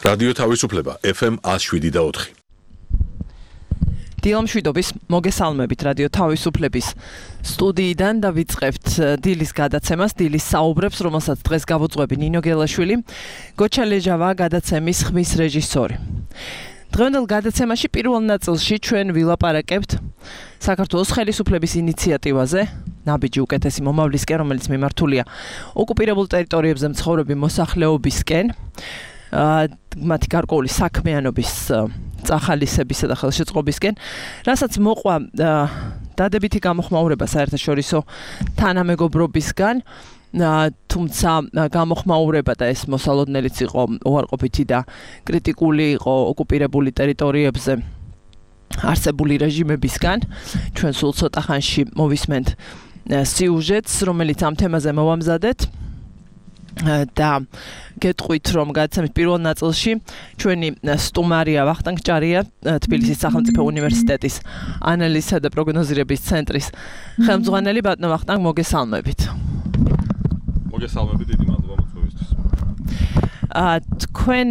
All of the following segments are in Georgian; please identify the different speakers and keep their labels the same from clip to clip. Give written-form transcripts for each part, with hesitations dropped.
Speaker 1: რადიო თავისუფლება FM 107.4.
Speaker 2: დილამშვიდობის მოგესალმებით რადიო თავისუფლების სტუდიიდან და ვიწყებთ დილის გადაცემას, დილის საუბრებს, რომელსაც დღეს გავუძღვები ნინო გელაშვილი, გოჩა ლეჟავა გადაცემის ხმის რეჟისორი. დღევანდელ გადაცემაში პირველ ნაწილში ჩვენ ვილაპარაკებთ საქართველოს ხელისუფლების ინიციატივაზე, ნაბიჯი უკეთესი მომავლისკენ, რომელიც მიმართულია ოკუპირებულ ტერიტორიებზე მცხოვრები მოსახლეობისკენ, მათი გარკვეული საქმიანობის წახალისებისა და ხელშეწყობისკენ, რასაც მოყვა დადებითი გამოხმაურება საერთაშორისო თანამეგობრობისგან, თუმცა გამოხმაურება და ეს მოსალოდნელიც იყო უარყოფითი და კრიტიკული იყო ოკუპირებული ტერიტორიებზე არსებული რეჟიმებისგან. ჩვენ სულ ცოტა ხანში მოვისმენთ სიუჟეტს, რომელიც ამ თემაზე მოვამზადეთ. და გეტყვით, რომ გადაცემის პირველ ნაწილში ჩვენი სტუმარია ვახტანგ ჭარია, თბილისის სახელმწიფო უნივერსიტეტის ანალიზისა და პროგნოზირების ცენტრის ხელმძღვანელი. ბატონო ვახტანგ, მოგესალმებით.
Speaker 3: მოგესალმებით, დიდი მადლობა მოწვევისთვის.
Speaker 2: თქვენ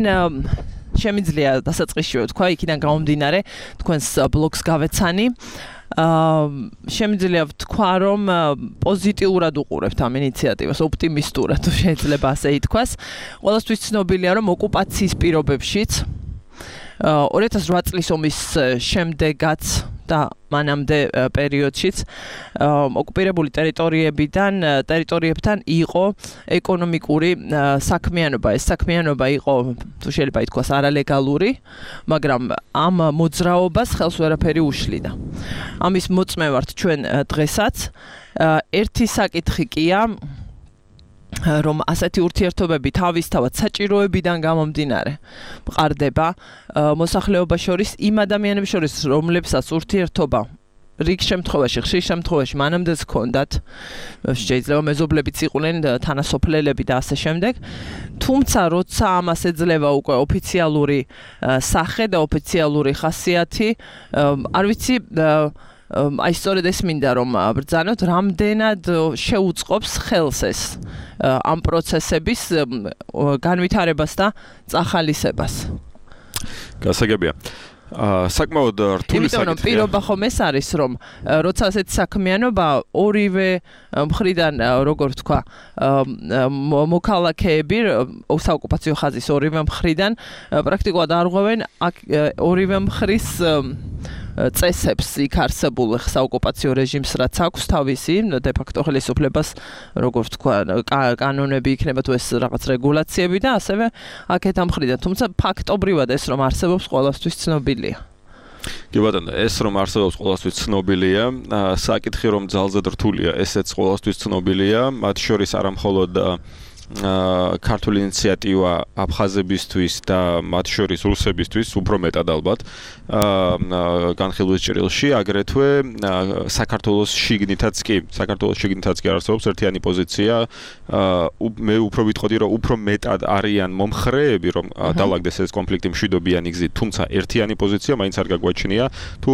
Speaker 2: შემიძლია დასაწყისშივე თქვა, იქიდან გამომდინარე, თქვენს ბლოგს გავეცანი. შემიძლია ვთქვა, რომ პოზიტიურად უყურებთ ამ ინიციატივას, ოპტიმისტურად, თუ შეიძლება ასე ითქვას. ყველასთვის ცნობილია, რომ ოკუპაციის პირობებშიც 2008 წლის ომის შემდეგაც და მანამდე პერიოდშიც ოკუპირებული ტერიტორიებთან იყო ეკონომიკური საქმიანობა. ეს საქმიანობა იყო, თუ შეიძლება ითქვას, არალეგალური, მაგრამ ამ მოძრაობას ხელს ვერაფერი უშლიდა. ამის მოწმევართ ჩვენ დღესაც. ერთი საკითხი კია, რომ ასეთი ურთიერთობები თავისთავად საჭიროებიდან გამომდინარე მყარდება მოსახლეობას შორის, იმ ადამიანებს შორის, რომლებსაც ურთიერთობა რიგ შემთხვევაში, ხშირ შემთხვევაში მანამდეც ჰქონდათ, შეიძლება მეზობლებიც იყვნენ, თანასოფლელები და ასე შემდეგ. თუმცა როცა ამას ეძლევა უკვე ოფიციალური სახე და ოფიციალური ხასიათი, არ ვიცი, აი სწორედ ეს მინდა რომ ბრძანოთ, რამდენად შეუწყობს ხელს ეს ამ პროცესების განვითარებას და წახალისებას.
Speaker 3: გასაგებია. საკმაოდ რთული
Speaker 2: საკითხია. იმიტომ რომ პირობა ხომ ეს არის, რომ როცა ასეთი საქმიანობა ორივე მხრიდან, როგორ ვთქვა, მოქალაქეები საოკუპაციო ხაზის ორივე მხრიდან პრაქტიკულად არღვევენ ორივე მხრის წესებს, იქ არსებულ საოკუპაციო რეჟიმს, რაც აქვს თავისი დე-ფაქტო ხელისუფლებას, როგორ ვთქვა, კანონები იქნება თუ ეს რაღაც რეგულაციები და ასევე აქეთ ამ მხრიდან. თუმცა ფაქტობრივად ეს რომ არსებობს, ყველასთვის ცნობილია.
Speaker 3: კი ბატონო, ეს რომ არსებობს ყველასთვის ცნობილია, საკითხი რომ ძალზედ რთულია, ესეც ყველასთვის ცნობილია, მათ შორის არა მხოლოდ ქართული ინიციატივა აფხაზებისთვის და მათ შორის რუსებისთვის, უფრო მეტად ალბათ, განხილვის ჭრილში, აგრეთვე საქართველოს შიგნითაც კი არსებობს ერთიანი პოზიცია. მე უფრო ვიტყოდი, რომ უფრო მეტად არიან მომხრეები, რომ დაალაგდეს ეს კონფლიქტი მშვიდობიანი გზით, თუმცა ერთიანი პოზიცია მაინც არ გაგვაჩნია. თუ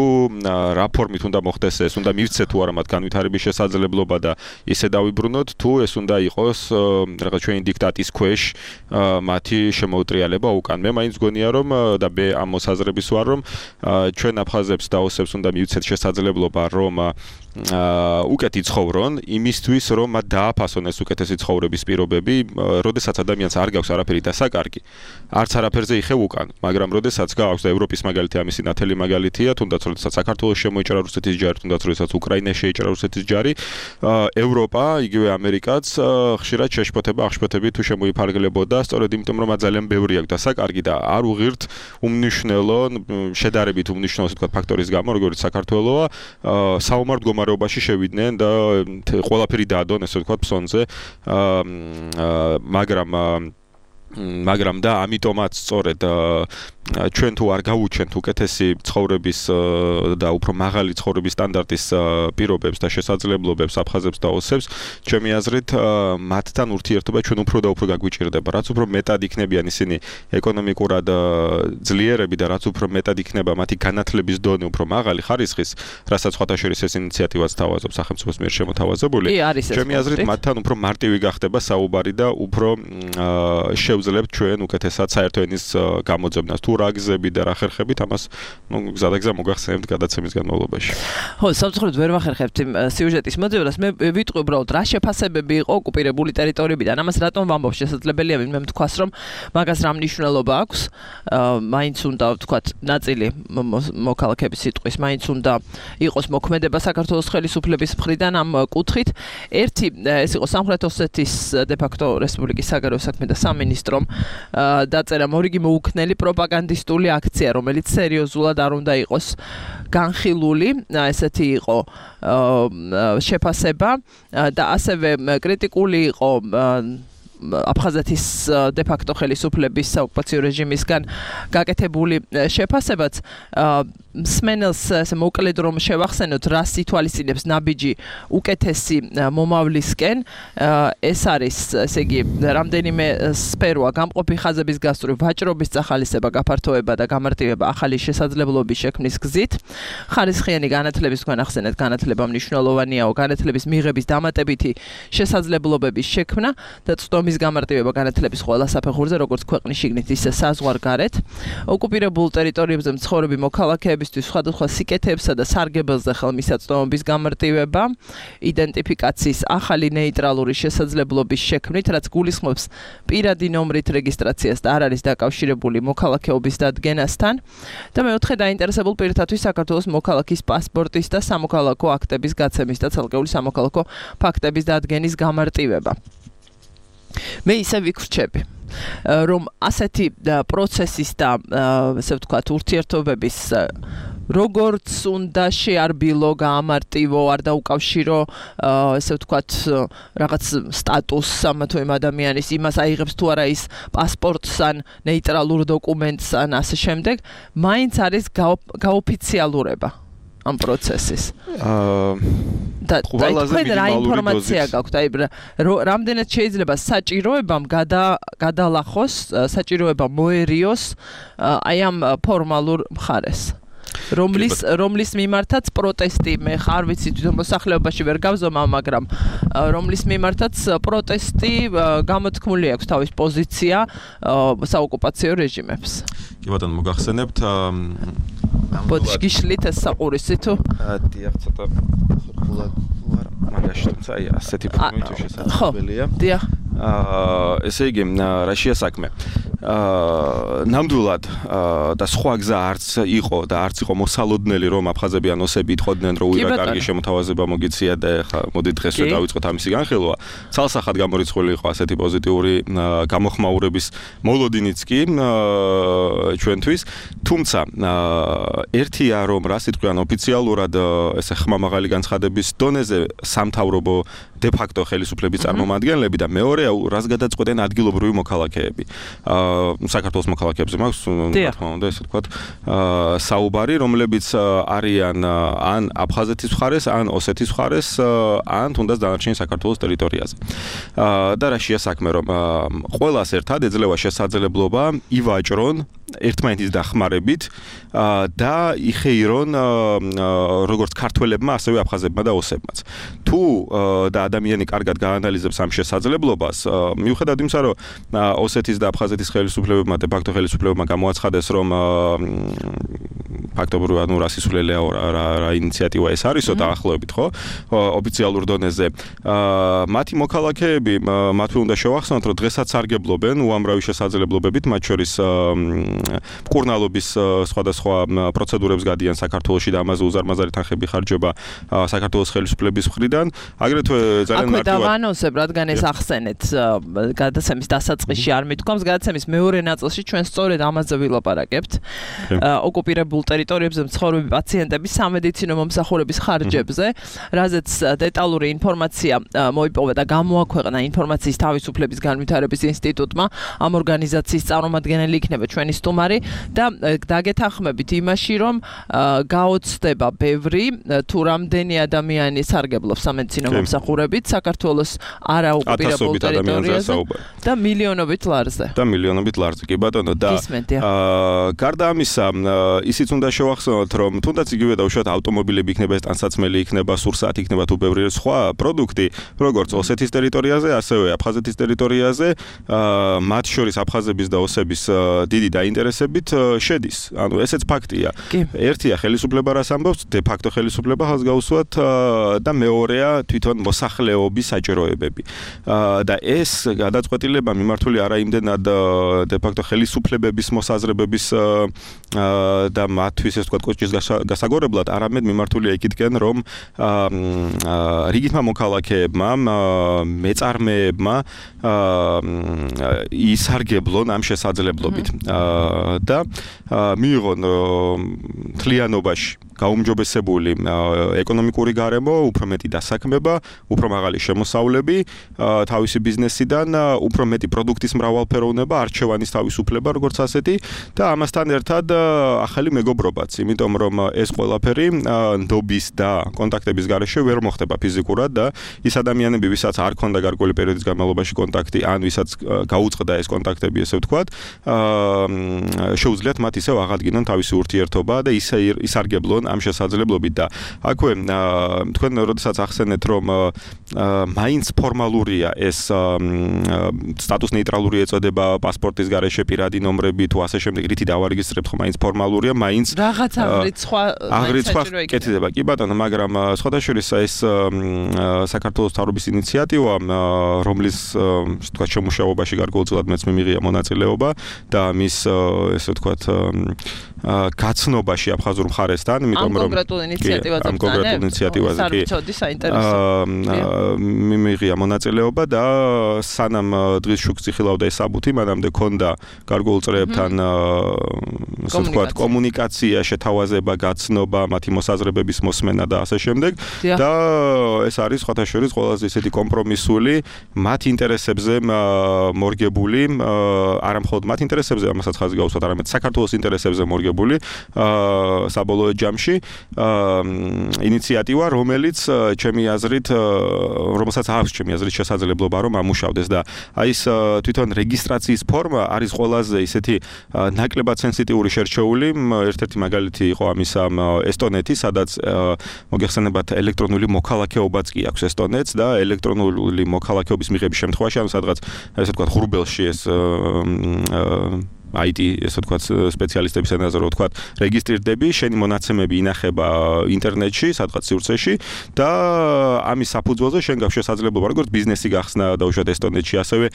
Speaker 3: რა ფორმით უნდა მოხდეს ეს, უნდა მივცეთ თუ არა მათ განვითარების შესაძლებლობა და ისე დავიბრუნოთ, თუ ეს უნდა იყოს რაღაც ჩვენი დიქტატის ქვეშ მათი შემოუტრიალება უკან. მე მაინც გონია, რომ და მე ამ მოსაზრების ვარ, რომ ჩვენ აფხაზებს და ოსებს უნდა მივცეთ შესაძლებლობა, რომ უკეთ იცხოვრონ, იმისთვის, რომ მათ დააფასონ ეს უკეთესი ცხოვრების პირობები, როდესაც ადამიანს არ გაქვს არაფერი დასაკარგი, არც არაფერზე იხევ უკან, მაგრამ როდესაც გააქვს და ევროპის მაგალითი ამისი ნათელი მაგალითია, თუნდაც როდესაც საქართველოს შემოიჭრა რუსეთის ჯარი, თუნდაც როდესაც უკრაინას შეიჭრა რუსეთის ჯარი, ევროპა, იგივე ამერიკაც ხშირად შეშფოთება, აღშფოთები თუ შემოიფარგლებოდა, სწორედ იმიტომ, რომ მათ ძალიან ბევრი აქვს დასაკარგი და არ უღირთ უმნიშვნელო, შედარებით უმნიშვნელო, ასე ვთქვათ, ფაქტორის გამო, როგორც საქართველოა, საომარ მდგომარეობაში შევიდნენ და ყველაფერი დაადონ, ესე ვთქვათ, ფსონზე, მაგრამ და ამიტომაც სწორედ ჩვენ თუ არ გავუჩენთ უკეთესი ცხოვრების და უფრო მაღალი ცხოვრების სტანდარტის პირობებს და შესაძლებლობებს აფხაზებს და ოსებს, ჩემი აზრით, მათთან ურთიერთობა ჩვენ უფრო და უფრო გაგვიჭირდება. რაც უფრო მეტად იქნებიან ისინი ეკონომიკურად ძლიერები და რაც უფრო მეტად იქნება მათი განათლების დონე უფრო მაღალი ხარისხის, რასაც სხვათა შორის ეს ინიციატივაც თავაზობს სახელმწიფოს მიერ შემოთავაზებული, ჩემი აზრით, მათთან უფრო მარტივი გახდება საუბარი და უფრო შეგვიძლია ჩვენ უკეთესად საერთო ენის გამოძებნას. თუ რა გზები და რა ხერხებით ამას გზადაგზა მოგახსენებთ გადაცემის განმავლობაში.
Speaker 2: ხო, სამწუხაროდ ვერ ვახერხებთ იმ სიუჟეტის მოძებნას. მე ვიტყვი უბრალოდ რა შეფასებები იყო ოკუპირებული ტერიტორიებიდან. ამას რატომ ვამბობ? შესაძლებელია ვინმე თქვას, რომ მაგას რა მნიშვნელობა აქვს. მაინც უნდა ვთქვათ, ნაწილი მოქალაქეების სიტყვის მაინც უნდა იყოს მოქმედება საქართველოს ხელისუფლების მხრიდან ამ კუთხით. ერთი ეს იყო სამხრეთ ოსეთის დე-ფაქტო რესპუბლიკის საგარეო საქმეთა სამინისტრომ დაწერა მორიგი მოუქნელი პროპაგანდისტული აქცია, რომელიც სერიოზულად არ უნდა იყოს განხილული. ესეთი იყო შეფასება და ასევე კრიტიკული იყო აფხაზეთის დე-ფაქტო ხელისუფლების საოკუპაციო რეჟიმისგან გაკეთებული შეფასებაც. მსმენელს ესე მოკლედ რომ შევახსენოთ, რას ითვალისწინებს ნაბიჯი უკეთესი მომავლისკენ, ეს არის, ესე იგი, რამდენიმე სფეროა: გამყოფი ხაზების გასწვრივ, ვაჭრობის წახალისება, გაფართოება და გამარტივება ახალი შესაძლებლობის შექმნის გზით, ხარისხიანი განათლების, თქვენ ახსენეთ, განათლება მნიშვნელოვანიაო, განათლების მიღების დამატებითი შესაძლებლობების შექმნა და წვდომის გამარტივება განათლების ყველა საფეხურზე, როგორც ქვეყნის შიგნით, ისე საზღვარგარეთ, ოკუპირებულ ტერიტორიებზე მცხოვრები მოქალაქეებისთვის სხვადასხვა სიკეთეებსა და სარგებელზე ხელმისაწვდომობის გამარტივება, იდენტიფიკაციის ახალი ნეიტრალური შესაძლებლობის შექმნით, რაც გულისხმობს პირადი ნომრით რეგისტრაციას და არ არის დაკავშირებული მოქალაქეობის დადგენასთან, და მეოთხე დაინტერესებულ პირთათვის საქართველოს მოქალაქის პასპორტის და სამოქალაქო აქტების გაცემის და ცალკეული სამოქალაქო ფაქტების დადგენის გამარტივება. მე ისე ვიქრჩები, რომ ასეთი პროცესის და ესე ვთქვათ ურთიერთობების როგორც უნდა შეარბილო, გაამარტივო, არ დაუკავშირო, ესე ვთქვათ, რაღაც სტატუსს ამა თუ იმ ადამიანის, იმას აიღებს თუ არა ის პასპორტს ან ნეიტრალურ დოკუმენტს ან ასე შემდეგ, მაინც არის გაოფიციალურება ამ პროცესის. და თქვენ რა ინფორმაცია გაქვთ? აი, რამდენად შეიძლება საჭიროებამ გადალახოს, საჭიროება მოერიოს აი ამ ფორმალურ მხარეს, რომლის მიმართაც პროტესტი, მე ხარ ვიცი თვითონ მოსახლეობაში ვერ გავზომა, მაგრამ რომლის მიმართაც პროტესტი გამოთქმული აქვს თავის პოზიცია საოკუპაციო რეჟიმებს.
Speaker 3: კი ბატონო, მოგახსენებთ
Speaker 2: ბოთში გიშლით ეს საყურისი თუ?
Speaker 3: დიახ, ცოტა ხურხულად ვარ, მაგაში თუმცა აი ასეთი ფორმით თუ შესაძლებელია.
Speaker 2: დიახ.
Speaker 3: ესე იგი, რა შეასაქმე? ნამდვილად და სხვა გზა არც იყო და არც იყო მოსალოდნელი, რომ აფხაზები ან ოსები იტყოდნენ, რომ უიღა კარგი შემოთავაზება მოგიცია და ეხლა მოდი დღესვე დავიწყოთ ამისი განხილვა. ცალსახად გამორიცხული იყო ასეთი პოზიტიური გამოხმაურების მოლოდინიც კი ჩვენთვის, თუმცა ერთია რომ რა სიტყვიან ოფიციალურად ესე ხმამაღალი განცხადების დონეზე სამთავრობო დე-ფაქტო ხელისუფლების წარმომადგენლები და მეორეა რას გადაწყვეტენ ადგილობრივი მოქალაქეები. საქართველოს მოქალაქეებზე მაქვს რა თქმა უნდა ესე ვთქვათ საუბარი, რომლებიც არიან ან აფხაზეთის მხარეს, ან ოსეთის მხარეს, ან თუნდაც დანარჩენი საქართველოს ტერიტორიაზე. და რა შეასაქმე, რომ ყველას ერთად ეძლევა შესაძლებლობა ივაჭრონ ერთმანეთის დახმარებით და იხეირონ როგორც ქართველებმა, ასევე აფხაზებმა და ოსებმაც. თუ და ადამიანი კარგად გაანალიზებს ამ შესაძლებლობას, მიუხედავად იმისა, რომ ოსეთის და აფხაზეთის ხელისუფლებებმა, დე-ფაქტო ხელისუფლებებმა გამოაცხადეს, რომ ფაქტობრივად რა სისულელეა რა ინიციატივა ეს არისო დაახლოებით, ხო? ოფიციალურ დონეზე. მათი მოქალაქეები, მათ უნდა შევახსენოთ, რომ დღესაც სარგებლობენ უამრავი შესაძლებლობებით, მათ შორის მკურნალობის სხვადასხვა პროცედურებს გადიან საქართველოში და ამაზე უზარმაზარი თანხები ხარჯება საქართველოს ხელისუფლების მხრიდან. აგრეთვე ძალიან
Speaker 2: მარტივად დავანონსებ, რადგან ეს ახსენეთ გადაცემის დასაწყისში არ მithქვამს, გადაცემის მეორე ნაწილში ჩვენ სწორედ ამაზე ვილაპარაკებთ. ოკუპირებულ ტერიტორიებზე მცხოვრები პაციენტების სამედიცინო მომსახურების ხარჯებზე, რაზეც დეტალური ინფორმაცია მოიპოვა და გამოაქვეყნა ინფორმაციის თავისუფლების განვითარების ინსტიტუტმა. ამ ორგანიზაციის წარმომადგენელი იქნება ჩვენი სტუმარი და დაგეთანხმებით იმაში, რომ გაოცდება ბევრი თუ რამდენი ადამიანი სარგებლობს სამედიცინო მომსახურებით საქართველოს არაოკუპირებულ ტერიტორიაზე და მილიონობით ლარზე.
Speaker 3: კი ბატონო და გარდა ამისა ისიც უნდა შევახსენოთ, რომ თუნდაც იგივე დაუშვათ ავტომობილები იქნება, ტანსაცმელი იქნება, სურსათი იქნება თუ ბევრი სხვა პროდუქტი, როგორც ოსეთის ტერიტორიაზე, ასევე აფხაზეთის ტერიტორიაზე, მათ შორის აფხაზების და ოსების დიდი დაინტერესებით შედის. ანუ ესეც ფაქტია. ერთია ხელისუფლება რას ამბობს, დე ფაქტო ხელისუფლება ხალხს გაუსვათ და მეორეა თვითონ მოსახლეობის საჭიროებები. და ეს გადაწყვეტილება მიმართული არა იმდენად დე ფაქტო ხელისუფლებების მოსაზრებების და მათთვის ეს თქვა კოჭის გასაგორებლად, არამედ მიმართულია იქითკენ, რომ რიგითმა მოქალაქეებმა, მეწარმეებმა ისარგებლონ ამ შესაძლებლობით და მიიღონ თლიანობაში გაუმჯობესებული ეკონომიკური გარემო, უფრო მეტი დასაქმება, უფრო მაღალი შემოსავლები თავისი ბიზნესიდან, უფრო მეტი პროდუქტის მრავალფეროვნება, არჩევანის თავისუფლება, როგორც ასეთი და ამასთან ერთად ახალი მეგობრობაც, იმიტომ რომ ეს ყველაფერი ნდობის და კონტაქტების გარეშე ვერ მოხდება ფიზიკურად და ის ადამიანები, ვისაც არ ქონდა გარკვეული პერიოდის განმავლობაში კონტაქტი, ან ვისაც გაუწყდა ეს კონტაქტები, ესე ვთქვათ, შეუძლიათ მათ ისევ აღადგინონ თავისი ურთიერთობა და ისარგებლონ ამ შესაძლებლობით და აქვე თქვენ როდესაც ახსენეთ, რომ მაინც ფორმალურია ეს სტატუს ნეიტრალური ეწოდება პასპორტის გარეშე პირადი ნომრები თუ ასე შემდეგ რითი დავარეგისტრებთ, ხო მაინც ფორმალურია, მაინც
Speaker 2: რაღაც აღრიცხვა
Speaker 3: კეთდება. კი ბატონო, მაგრამ სხვადასხვა ეს საქართველოს მთავრობის ინიციატივა, რომლის თქვა შემუშავებაში გარკვეულწილად მეც მიმიღია მონაწილეობა და მის ესე ვთქვათ გაცნობაში აფხაზურ მხარესთან,
Speaker 2: ამ კონკრეტულ ინიციატივაზე კი
Speaker 3: მიმიღია მონაწილეობა და სანამ დღის შუქს იხილავდა ეს საბუთი, მანამდე ქონდა გარკვეულ წრეებთან ასე ვთქვათ კომუნიკაცია, შეთავაზება, გაცნობა, მათი მოსაზრებების მოსმენა და ასე შემდეგ და ეს არის სხვადასხვა ყველაზე ისეთი კომპრომისული, მათ ინტერესებზე მორგებული, არა მხოლოდ მათ ინტერესებზე, ამასაც ხაზი გაუსვათ, არამედ საქართველოს ინტერესებზე მორგებული საბოლოო ჯამში ინიციატივა, რომელიც ჩემი აზრით, რომელსაც აქვს ჩემი აზრით შესაძლებლობა რომ ამუშავდეს და აი ეს თვითონ რეგისტრაციის ფორმა არის ყველაზე ისეთი ნაკლებად სენსიტიური შერჩეული. ერთ-ერთი მაგალითი იყო ამისა ესტონეთი, სადაც მოგეხსენებათ ელექტრონული მოქალაქეობაც კი აქვს ესტონეთს და ელექტრონული მოქალაქეობის მიღების შემთხვევაში, ანუ სადღაც ესე ვთქვათ ღრუბელში ეს IT ესე ვთქვათ სპეციალისტების ენაზე რო ვთქვათ რეგისტრირდები, შენი მონაცემები ინახება ინტერნეტში, სადღაც სივრცეში და ამის საფუძველზე შენ გაქვს შესაძლებლობა როგორც ბიზნესი გახსნა დაუშვათ ესტონეთში, ასევე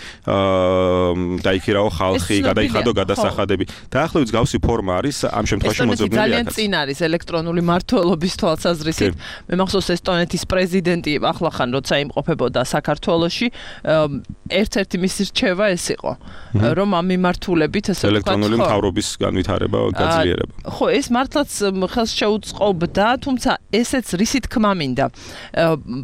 Speaker 3: დაიქირაო ხალხი, გადაიხადო გადასახადები. დაახლოებით გავსი ფორმა არის ამ შემთხვევაში მოძებნილი აქაც.
Speaker 2: ძალიან წინ არის ელექტრონული მართლობის თვალსაზრისით. მე მახსოვს ესტონეთის პრეზიდენტი ახლახან როცა იმყოფებოდა საქართველოში, ერთ-ერთი მისი რჩევა ეს იყო, რომ ამ მიმართულებით
Speaker 3: ელექტრონული მთავრობის განვითარება, გაძლიერება.
Speaker 2: ხო, ეს მართლაც ხელს შეუწყობდა, თუმცა ესეც რისი თქმა მინდა.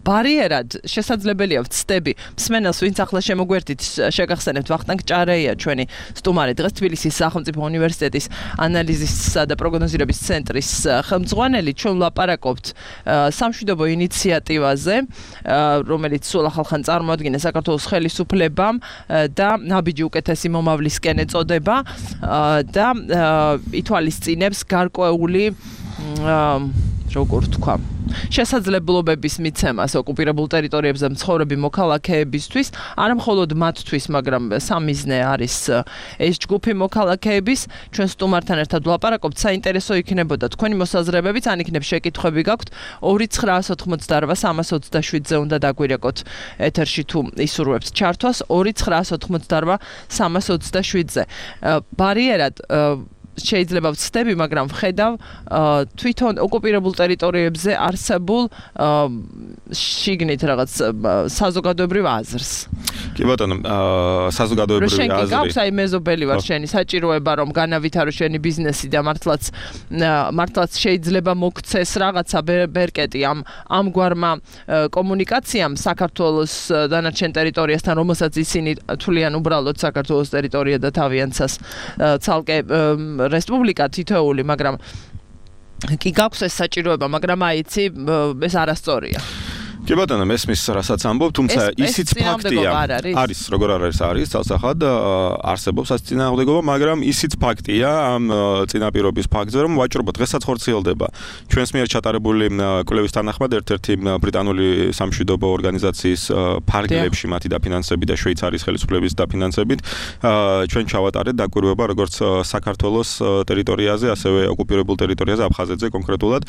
Speaker 2: ბარიერად შესაძლებელია ვცდები. მსმენელს, ვინც ახლა შემოგვერთით, შეგახსენებთ ვახტანგ ჭარეია, ჩვენი სტუმარი, დღეს თბილისის სახელმწიფო უნივერსიტეტის ანალიზისა და პროგნოზირების ცენტრის ხელმძღვანელი, ჩვენ ვლაპარაკობთ სამშვიდობო ინიციატივაზე, რომელიც სულ ახალხან წარმოადგინა საქართველოს ხელისუფლებამ და ნაბიჯი უკეთესი მომავლისკენ ეწოდება და ითვალისწინებს გარკვეული როგორ თქვა შესაძლებლობების მიცემას ოკუპირებულ ტერიტორიებზე მცხოვრები მოქალაქეებისთვის, არა მხოლოდ მათთვის, მაგრამ სამიზნე არის ეს ჯგუფი მოქალაქეების. ჩვენ სტუმართან ერთად ვლაპარაკობთ, საინტერესო იქნებოდა თქვენი მოსაზრებებიც, ან იქნებ შეკითხვები გაქვთ 2988-327-ზე უნდა დაგვირეკოთ ეთერში თუ ისურვებთ ჩართვას 2988-327-ზე. ბარიერად შეიძლება ვცდები, მაგრამ ვხედავ თვითონ ოკუპირებულ ტერიტორიებზე არსებულ შიგნით რაღაც საზოგადოებრივ აზრს.
Speaker 3: კი კი ბატონო, საზოგადოებრივი აზრი.
Speaker 2: შენ გაქვს აი მეზობელი ვარ შენი საჭიროება რომ განავითარო შენი ბიზნესი და მართლაც შეიძლება მოგცეს რაღაცა ბერკეტი ამგვარმა კომუნიკაციამ საქართველოს დანარჩენ ტერიტორიასთან, რომელსაც ისინი თვლიან უბრალოდ საქართველოს ტერიტორია და თავიანთს ცალკე რესპუბლიკა თითოეული, მაგრამ კი გაქვს ეს საჭიროება, მაგრამ აიცი ეს არასწორია.
Speaker 3: კი ბატონო, მესმის რასაც ამბობ, თუმცა ისიც ფაქტია. არის, როგორ არის ცალსახად არსებობს ეს წინააღმდეგობა, მაგრამ ისიც ფაქტია ამ წინაპირობის ფაქტზე, რომ ვაჭრობა დღესაც ხორციელდება. ჩვენს მიერ ჩატარებული კვლევის თანახმად ერთ-ერთი ბრიტანული სამშვიდობო ორგანიზაციის ფარგლებში მათი დაფინანსებით და შვეიცარიის ხელისუფლების დაფინანსებით ჩვენ ჩავატარეთ დაკვირვება როგორც საქართველოს ტერიტორიაზე, ასევე ოკუპირებულ ტერიტორიაზე, აფხაზეთზე კონკრეტულად,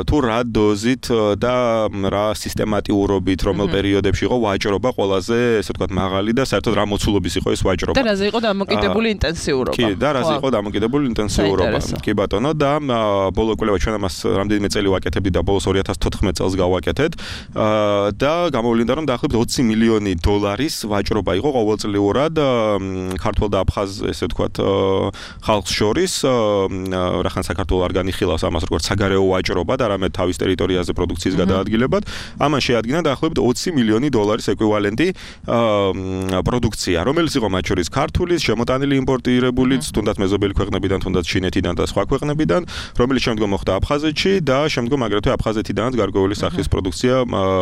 Speaker 3: თუ რა დოზით და რა სისტემატიურობით რომელ პერიოდებში იყო ვაჭრობა ყველაზე, ესე ვთქვათ, მაღალი და საერთოდ რა მოცულობის იყო ეს ვაჭრობა.
Speaker 2: და რაზე იყო დამოკიდებული ინტენსიურობა.
Speaker 3: კი, და რაზე იყო დამოკიდებული ინტენსიურობა. კი ბატონო, და ბოლო კვლევა ჩვენ ამას რამდენიმე წელი ვაკეთებდით და ბოლოს 2014 წელს გავაკეთეთ და გამოვლინდა რომ დაახლოებით 20 მილიონი დოლარის ვაჭრობა იყო ყოველწლიურად ქართულ და აფხაზ, ესე ვთქვათ, ხალხს შორის, რახან საქართველოს არ განიხილავს ამას როგორც საგარეო ვაჭრობა და რამე თავის ტერიტორიაზე პროდუქციის გადაადგილებად. ამან შეადგინა დაახლოებით 20 მილიონი დოლარის ეკვივალენტი პროდუქცია, რომელიც იყო მათ შორის ქართულის, შემოტანილი იმპორტირებულიც, თუნდაც მეზობელი ქვეყნებიდან, თუნდაც ჩინეთიდან და სხვა ქვეყნებიდან, რომელიც შემდგომ მოხდა აფხაზეთში და შემდგომ აგრეთვე აფხაზეთიდანაც გარკვეული სახის პროდუქცია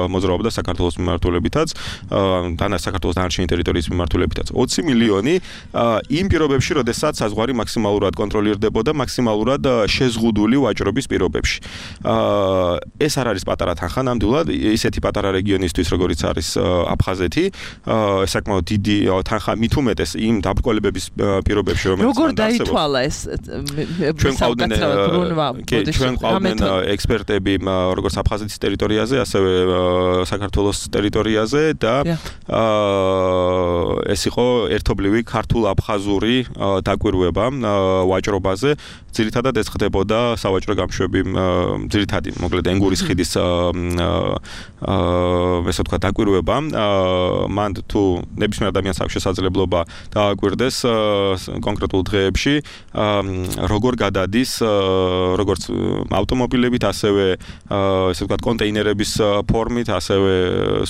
Speaker 3: მოძრაობდა საქართველოს მიმართულებითაც, საქართველოს დანარჩენი ტერიტორიის მიმართულებითაც. 20 მილიონი იმ პირობებში, როდესაც საზღვარი მაქსიმალურად კონტროლირდებოდა, მაქსიმალურად შეზღუდული ვაჭრობის პირობებში. ეს არ არის პატარა თანხა ნამდვილად, ისეთი პატარა რეგიონისთვის, როგორიც არის აფხაზეთი, საკმაოდ დიდი თანხა მით უმეტეს იმ დაბრკოლებების პირობებში, რომელიც
Speaker 2: როგორ დაითვალა ეს
Speaker 3: ჩვენ ყავდნენ ექსპერტები როგორც აფხაზეთის ტერიტორიაზე, ასევე საქართველოს ტერიტორიაზე და ეს იყო ერთობლივი ქართულ-აფხაზური დაკვირვება ვაჭრობაზე. ძირითადად ეს ხდებოდა სავაჭრო გამშვები, ძირითადი, მოკლედ ენგურის ხიდის ესე ვთქვათ, დაკვირვება. მან თუ ნებისმიერ ადამიანს აქვს შესაძლებლობა დააკვირდეს კონკრეტულ დღეებში, როგორ გადადის, როგორც ავტომობილებით, ასევე ესე ვთქვათ, კონტეინერების ფორმით, ასევე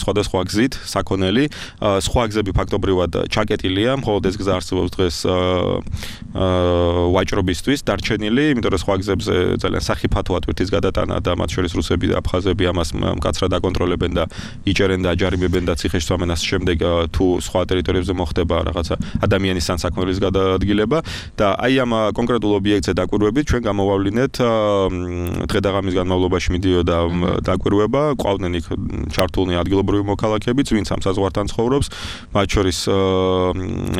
Speaker 3: სხვადასხვა გზით, საქონელი, სხვა გზები ფაქტობრივად ჩაკეტილია, მხოლოდ ეს გზა არსებობს დღეს ვაჭრობისთვის დარჩენილი, იმიტომ რომ სხვა გზებზე ძალიან სახიფათოა თვირთის გადატანა და მათ შორის რუსები და აფხაზები ამას მკაცრად აკონტროლებენ და იჭერენ და აჯარიმებენ და ციხეში წვამენ ამას შემდეგ თუ სხვა ტერიტორიებზე მოხდება რაღაცა ადამიანის სანსაქმნელის გადაადგილება და აი ამ კონკრეტულ ობიექტზე დაკვირვებით ჩვენ გამოვავლინეთ დღე-დაღამის განმავლობაში მიდიოდა დაკვირვება, ყავდნენ იქ ჩართულნი ადგილობრივი მოქალაქეებიც, ვინც ამ საზღვართან ცხოვრობს, მათ შორის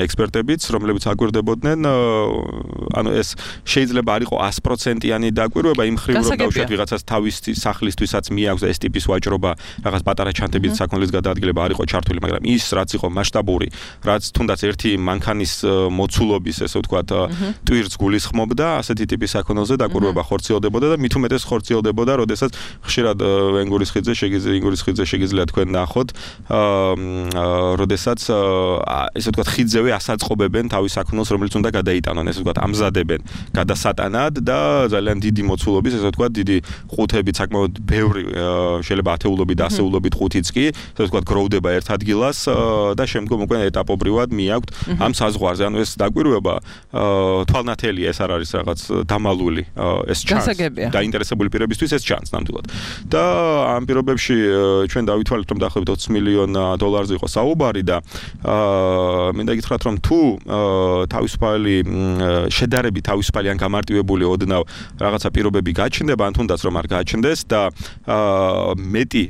Speaker 3: ექსპერტებიც, რომლებიც აკვირდებოდნენ, ანუ ეს შეიძლება არ იყო 100%-იანი დაკვირვება, იმ ხრივ რომ დავუშვათ ვიღაცას თავისი სახლისთვისაც მიაქვს ეს ტიპის ვაჭრობა, რაღაც პატარა ჩანთებით საქონლის გადაადგილება არ იყო ჩართული, მაგრამ ის რაც იყო მასშტაბური, რაც თუნდაც ერთი მანქანის მოცულობის, ესე ვთქვათ, ტვირთს გულისხმობდა, ასეთი ტიპის საქონელზე დაკვირვება ხორციელდებოდა და მით უმეტეს ხორციელდებოდა, როდესაც ხშირად ენგურის ხიდზე შეგიძლიათ თქვენ ნახოთ, როდესაც ესე ვთქვათ, ხიდზევე ასაწყობებენ თავის საქონელს, რომელიც უნდა გადაიტანონ, ესე ვთქვათ, ამზადებენ გადასატანად და ძალიან დიდი მოცულობის, ესე ვთქვათ, დიდი ყუთებით, საკმაოდ ბევრი, შეიძლება ათეულობით, ასეულობით ყუთიც კი, ესე ვთქვათ, გროვდება ერთ ადგილას და შემდგომ უკვე ეტაპობრივად მიაქვთ ამ საზღვარზე. ანუ ეს დაკვირვება თვალნათელია, ეს არ არის რაღაც დამალული, ეს ჩანს დაინტერესებული პირებისთვის ეს ჩანს ნამდვილად. და ამ პირობებში ჩვენ დავითვალეთ, რომ დაახლოებით 20 მილიონ დოლარზე იყო საუბარი და მინდა გითხრათ, რომ თუ შედარებით თავისუფალი ან გამარტივებული ოდნავ რაღაცა პირობები გაჩნდება, ან თუნდაც რომ არ გაჩნდეს და მეტი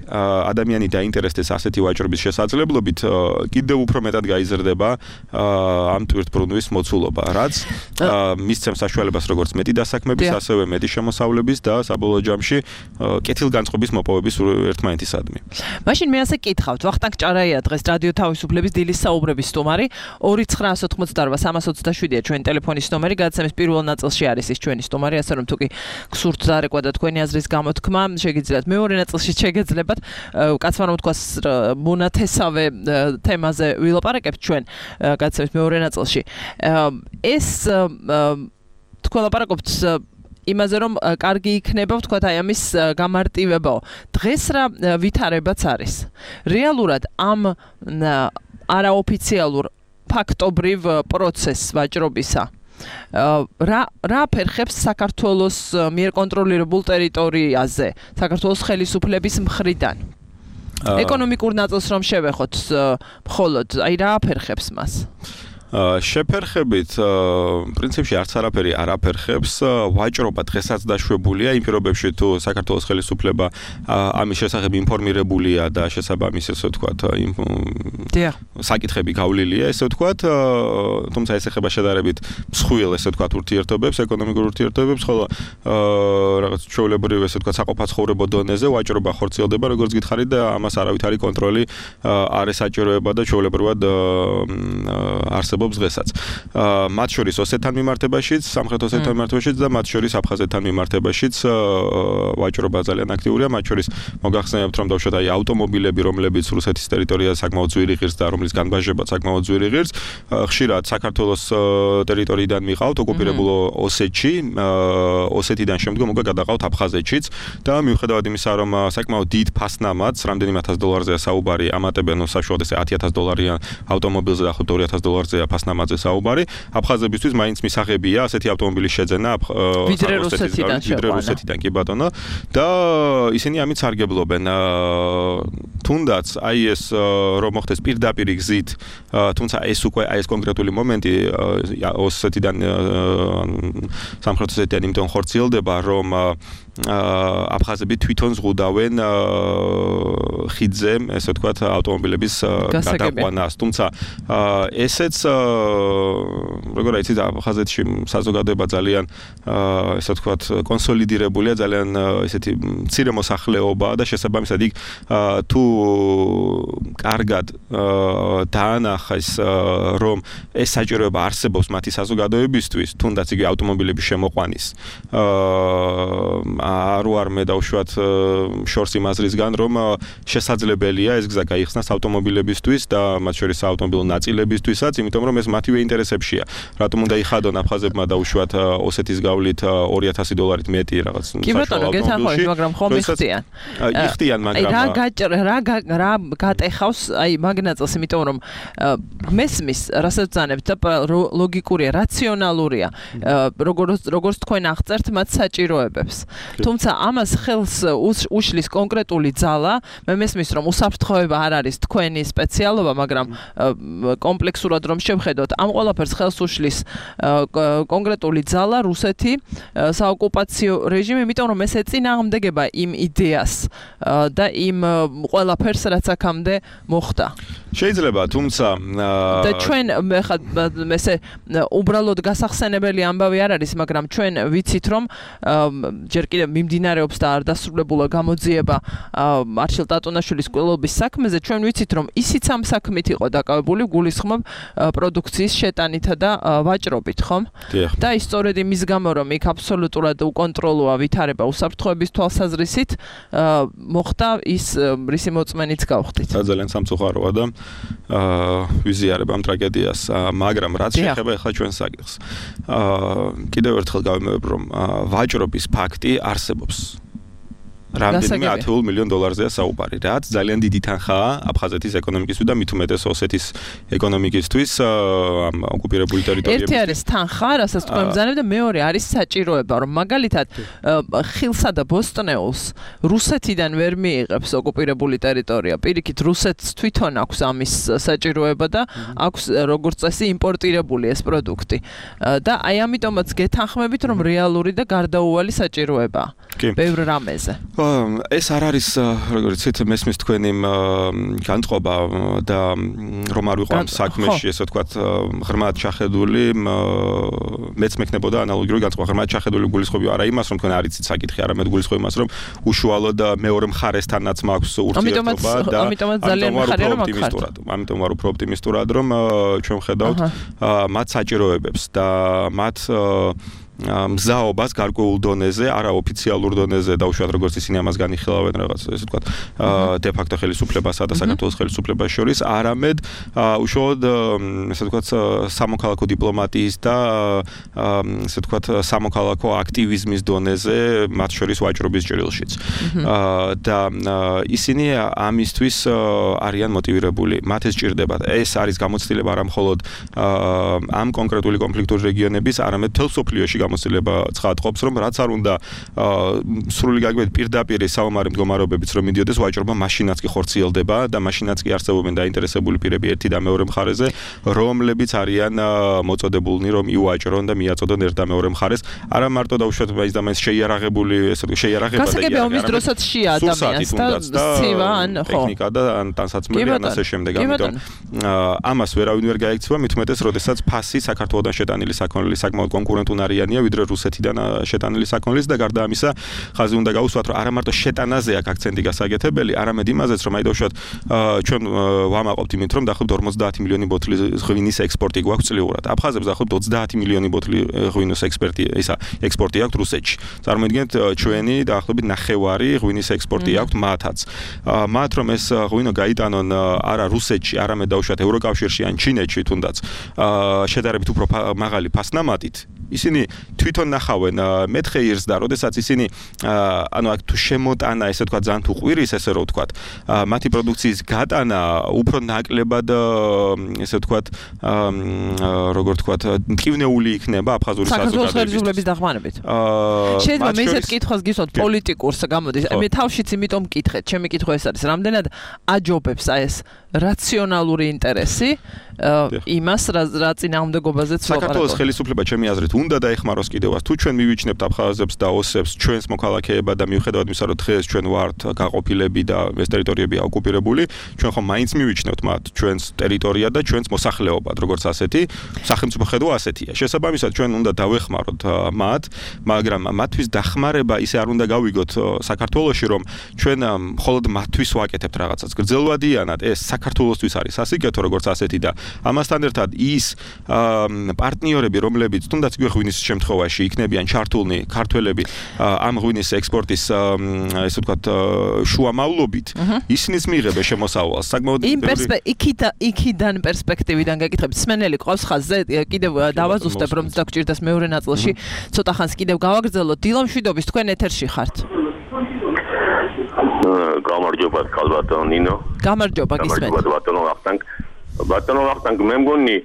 Speaker 3: ადამიანი დაინტერესდეს ასეთი ვაჭრობის შესაძლებლობით, კიდევ უფრო მეტად გაიზრდება ამ ტვირთბრუნვის მოცულობა, რაც მისცემს საშუალებას როგორც მეტი დასაქმების, ასევე მეტი შემოსავლების და საბოლოო ჯამში კეთილგანწყობის მოპოვების ერთმანეთისადმი.
Speaker 2: მაშინ მე ასე კითხავთ, ვახტანგ ჭარაია დღეს რადიო თავისუფლების დილის საუბრების სტუმარი, 2988-327-ია ჩვენი ტელეფონის ნომერი, გადაცემის პირველ ნაწილში არის ის ჩვენი სტუმარი, ასე რომ თუ კი გსურთ დარეკვა და თქვენი აზრის გამოთქმა, შეგიძლიათ მეორე ნაწილში შეგეძლებათ. კაცმა რომ თქვა მონათესავე თემაზე ვილაპარაკებთ ჩვენ გაცემის მეორე ნაწილში. ეს თქვა ლაპარაკობთ იმაზე რომ კარგი იქნება ვთქვათ აი ამის გამარტივებაო. დღეს რა ვითარებაც არის. რეალურად ამ არაოფიციალურ ფაქტობრივ პროცესს ვაჭრობისა რა ფერხებს საქართველოს მიერ კონტროლირებულ ტერიტორიაზე, საქართველოს ხელისუფლების მხრიდან. ეკონომიკურ ნაწილს რომ შევეხოთ მხოლოდ, აი რა აფერხებს მას?
Speaker 3: შეფერხებით პრინციპში არც არაფერი არ აფერხებს. ვაჭრობა დღესაც დაშვებულია იმ პირობებში თუ საქართველოს ხელისუფლება ამის შესახებ ინფორმირებულია და შესაბამის ესე ვთქვათ საკითხები გავლილია ესე ვთქვათ, თუმცა ეს ეხება შედარებით მსხვილ ესე ვთქვათ ურთიერთობებს, ეკონომიკურ ურთიერთობებს, ხოლო რაღაც ჩვეულებრივ ესე ვთქვათ საყოფაცხოვრებო დონეზე ვაჭრობა ხორციელდება როგორც გითხარით და ამას არავითარი კონტროლი არ ესაჭიროება და ჩვეულებრივად არსებობს დღესაც. მათ შორის ოსეთთან მიმართებაშიც, სამხრეთ ოსეთთან მიმართებაშიც და მათ შორის აფხაზეთთან მიმართებაშიც ვაჭრობა ძალიან აქტიურია. მათ შორის მოგახსენებთ რომ დავუშვათ აი ავტომობილები, რომლებიც რუსეთის ტერიტორიაზე საკმაოდ ძვირი ღირს და რომლის განბაჟება საკმაოდ ძვირი ღირს, ხშირად საქართველოს ტერიტორიიდან მიყავთ ოკუპირებულ ოსეთში, ოსეთიდან შემდგომ უკვე გადაყავთ აფხაზეთშიც და მიუხედავად იმისა, რომ საკმაოდ დიდ ფასნამაც, რამდენიმე $1000-ზეა საუბარი, ამატებენ საშუალოდ ესე $10000 ავტომობილზე და $2000-ზეა ფასნამაზე საუბარი, აფხაზებისთვის მაინც მისაღებია ასეთი ავტომობილის შეძენა
Speaker 2: ვიდრე რუსეთიდან
Speaker 3: კი ბატონო და ისინი ამით სარგებლობენ. თუნდაც აი ეს რომ მოხდეს პირდაპირ გზით, თუმცა ეს უკვე აი ეს კონკრეტული მომენტი ოსეთიდან სამხრეთ ოსეთიდან იმიტომ ხორციელდება, რომ აფხაზები თვითონ ზღუდავენ ხიდზე, ესე ვთქვათ, ავტომობილების გადაყვანას. თუმცა ესეც როგორ იცით, აფხაზეთში საზოგადოება ძალიან ესე ვთქვათ, კონსოლიდირებულია, ძალიან ესეთი მცირე მოსახლეობაა და შესაბამისად იქ თუ კარგად დაანახეს რომ ეს საჭიროება არსებობს მათი საზოგადოებისთვის, თუნდაც იგი ავტომობილების შემოყვანის არ მე დავუშვათ შორს იმაზრისგან, რომ შესაძლებელია ეს გზა გაიხსნას ავტომობილებისთვის და მათ შორის ავტომობილო ნაწილებისთვისაც, იმიტომ რომ ეს მათივე ინტერესებშია. რატომ უნდა იხადონ აფხაზებმა დავუშვათ ოსეთის გავლით $2000 მეტი რაღაც
Speaker 2: კი ბატონო, გეთანხმებით, მაგრამ ხომ იხდიან.
Speaker 3: იხდიან, მაგრამ
Speaker 2: რა გატეხავს აი მაგნაწილს, იმიტომ რომ მესმის, რასაც ძანებთ და ლოგიკურია, რაციონალურია, როგორც თქვენ აღწერთ მათ საჭიროებებს. თუმცა ამას ხელს უშლის კონკრეტული ძალა, მე მესმის რომ უსაფრთხოება არ არის თქვენი სპეციალობა, მაგრამ კომპლექსურად რომ შევხედოთ, ამ ყველაფერს ხელს უშლის კონკრეტული ძალა, რუსეთი, საოკუპაციო რეჟიმი, იმიტომ რომ ეს ეწინააღმდეგება იმ იდეას და იმ ყველაფერს, რაც აქამდე მოხდა.
Speaker 3: შეიძლება, თუმცა
Speaker 2: და ჩვენ ესე უბრალოდ გასახსენებელი ამბავი არ არის, მაგრამ ჩვენ ვიცით რომ ჯერ კიდევ მიმდინარეობს და არ დასრულებულა გამოძიება არჩილ ტატუნაშვილის ყოლობის საქმეზე, ჩვენ ვიცით რომ ისიც ამ საქმით იყო დაკავებული, გულისხმობ პროდუქციის შეტანითა და ვაჭრობით, ხომ? და ის სწორედ იმის გამო რომ იქ აბსოლუტურად უკონტროლოა ვითარება უსაფრთხოების თვალსაზრისით, მოხდა ის რისი მოწმენიც გავხდით.
Speaker 3: ძალიან სამწუხაროა და ვიზიარებ ამ ტრაგედიას, მაგრამ რაც შეეხება ახლა ჩვენს საკითხს. კიდევ ერთხელ გავიმეორებ რომ ვაჭრობის ფაქტი არსებობს. რამდენიმე $10 მილიონ-ზეა საუბარი, რაც ძალიან დიდი თანხაა აფხაზეთის ეკონომიკისთვის და მით უმეტეს ოსეთის ეკონომიკისთვის ამ ოკუპირებული ტერიტორიებზე.
Speaker 2: ერთი არის თანხა, რასაც თქვენ ბრძანებთ და მეორე არის საჭიროება, რომ მაგალითად ხილსა და ბოსტნეულს რუსეთიდან ვერ მიიღებს ოკუპირებული ტერიტორია. პირიქით რუსეთს თვითონ აქვს ამის საჭიროება და აქვს როგორც წესი იმპორტირებული ეს პროდუქტი. და აი ამიტომაც გეთანხმებით, რომ რეალური და გარდაუვალი საჭიროებაა. ბევრ რამეზე.
Speaker 3: ეს არ არის, როგორც იცით, მესმის თქვენი განწყობა და რომ არ ვიყო ამ საქმეში, ესე ვთქვათ, ღრმად ჩახედული, მეც მექნებოდა ანალოგიური განწყობა, ღრმად ჩახედული გულისხმობი არა იმას, რომ თქვენ არ იცით საკითხი, არამედ გულისხმობ იმას, რომ უშუალოდ მეორე მხარესთანაც მაქვს ურთიერთობა და
Speaker 2: ამიტომაც ძალიან მხარია რომ აქ.
Speaker 3: ამიტომ ვარ უფრო ოპტიმისტურად, რომ ჩვენ ვხედავთ მათ საჭიროებებს და მათ მზაობას გარკვეულ დონეზე, არაოფიციალურ დონეზე დაუშვათ როგორც ისინი ამას განიხილავენ რაღაც ესე ვთქვათ de facto ხელისუფლებასა და საქართველოს ხელისუფლებას შორის, არამედ უშუალოდ ესე ვთქვათ სამოქალაქო დიპლომატიის და ესე ვთქვათ სამოქალაქო აქტივიზმის დონეზე, მათ შორის ვაჭრობის ჭრილშიც. და ისინი ამისთვის არიან მოტივირებული. მათ ეს ჭირდებათ. ეს არის გამოცდილება არა მხოლოდ ამ კონკრეტული კონფლიქტური რეგიონების, არამედ მთელ მსოფლიოში გამოცდილება ცხადყოფს, რომ რაც არ უნდა სრული გაგებით პირდაპირ საომარი მდგომარეობებიც რომ მიდიოდეს ვაჭრობა, მაშინაც კი ხორციელდება და მაშინაც კი არსებობენ დაინტერესებული პირები ერთი და მეორე მხარეზე, რომლებიც არიან მოწოდებულნი რომ იუაჭრონ და მიაწოდონ ერთ და მეორე მხარეს. არა მარტო დაუშვათ მაინც და მაინც შეიარაღებული, ესე ვთქვი, შეიარაღება და
Speaker 2: გასაგებია ომის დროსაც შეა ადამიანს და სცევა ან ხო
Speaker 3: ტექნიკა და ან ტანსაცმელი ან ასე შემდეგ. ამიტომ ამას ვერავინ ვერ გაექცევა, მით უმეტეს, როდესაც ფასი საქართველოსთან შეტანილი საქონლის საკმაოდ კონკურენტუნარიანია, ვიდრე რუსეთიდან შეტანილი საქონლის და გარდა ამისა, ხაზი უნდა გაუსვათ, რომ არა მარტო შეტანაზე აქვს აქცენტი გასაგეთებელი, არამედ იმაზეც, რომ აი დაუშვათ ჩვენ ვამაყობთ იმით, რომ დაახლოებით 50 მილიონი ბოთლი ღვინის ექსპორტი გვაქვს წლიურად. აფხაზებს დაახლოებით 30 მილიონი ბოთლი ღვინის ექსპორტი აქვს რუსეთში. წარმოიდგინეთ, ჩვენი დაახლოებით ნახევარი ღვინის ექსპორტი აქვს მათაც. მათ რომ ეს ღვინო გაიტანონ არა რუსეთში, არამედ დაუშვათ ევროკავშირში ან ჩინეთში თუნდაც შედარებით უფრო მაღალი ფასნამატით, ისინი თვითონ ნახავენ მეთხეირს და როდესაც ისინი ანუ აქ თუ შემოტანა, ესე ვთქვათ, ძალიან თუ ყვირის, ესე რომ ვთქვათ, მათი პროდუქციის გატანა უფრო ნაკლებად ესე ვთქვათ, როგორ ვთქვათ, მტკივნეული იქნება აფხაზური საზოგადოების
Speaker 2: ხელისუფლების დახმარებით. შეიძლება მე ესეთ კითხვას გისვათ პოლიტიკურს გამოდის. მე თავშიც იმიტომ მკითხეთ, ჩემი კითხვა ეს არის, რამდენად აჯობებს აი ეს რაციონალური ინტერესი იმას, რა წინააღმდეგობაზეც ვაპარაკობ.
Speaker 3: საქართველოს ხელისუფლება ჩემი აზრით უნდა დაეხმაროს კიდევაც. თუ ჩვენ მივიჩნევთ აფხაზებს და ოსებს ჩვენს მოქალაქეებად და მიუხედავად იმისა, რომ დღეს ჩვენ ვართ გაყოფილები და ეს ტერიტორიები ოკუპირებული, ჩვენ ხომ მაინც მივიჩნევთ მათ ჩვენს ტერიტორია და ჩვენს მოსახლეობად, როგორც ასეთი, სახელმწიფო ხედვა ასეთია. შესაბამისად ჩვენ უნდა დავეხმაროთ მათ, მაგრამ მათთვის დახმარება ისე არ უნდა გავიგოთ საქართველოში, რომ ჩვენ მხოლოდ მათთვის ვაკეთებთ რაღაცას. გრძელვადიანად ეს საქართველოსთვის არის სასიკეთო როგორც ასეთი და ამასთან ერთად ის პარტნიორები, რომლებიც თუნდაც ღვინის შემთხვევაში იქნებიან ჩართულნი ქართველები ამ ღვინის ექსპორტის ესე ვთქვათ შუამავლობით, ისინიც მიიღებენ შემოსავალს. საკმაოდ
Speaker 2: იქიდან პერსპექტივიდან გეკითხებით, სმენელი ყავს ხაზზე, კიდევ დავაზუსტებ, რომ დაგჭირდეს მეორე ნაწილში, ცოტა ხანს კიდევ გავაგრძელოთ. დილამშვიდობის, თქვენ ეთერში ხართ.
Speaker 4: გამარჯობა ქალბატონო ნინო.
Speaker 2: გამარჯობა გისმენთ.
Speaker 4: ბატონო ვახტანგ, მე მგონი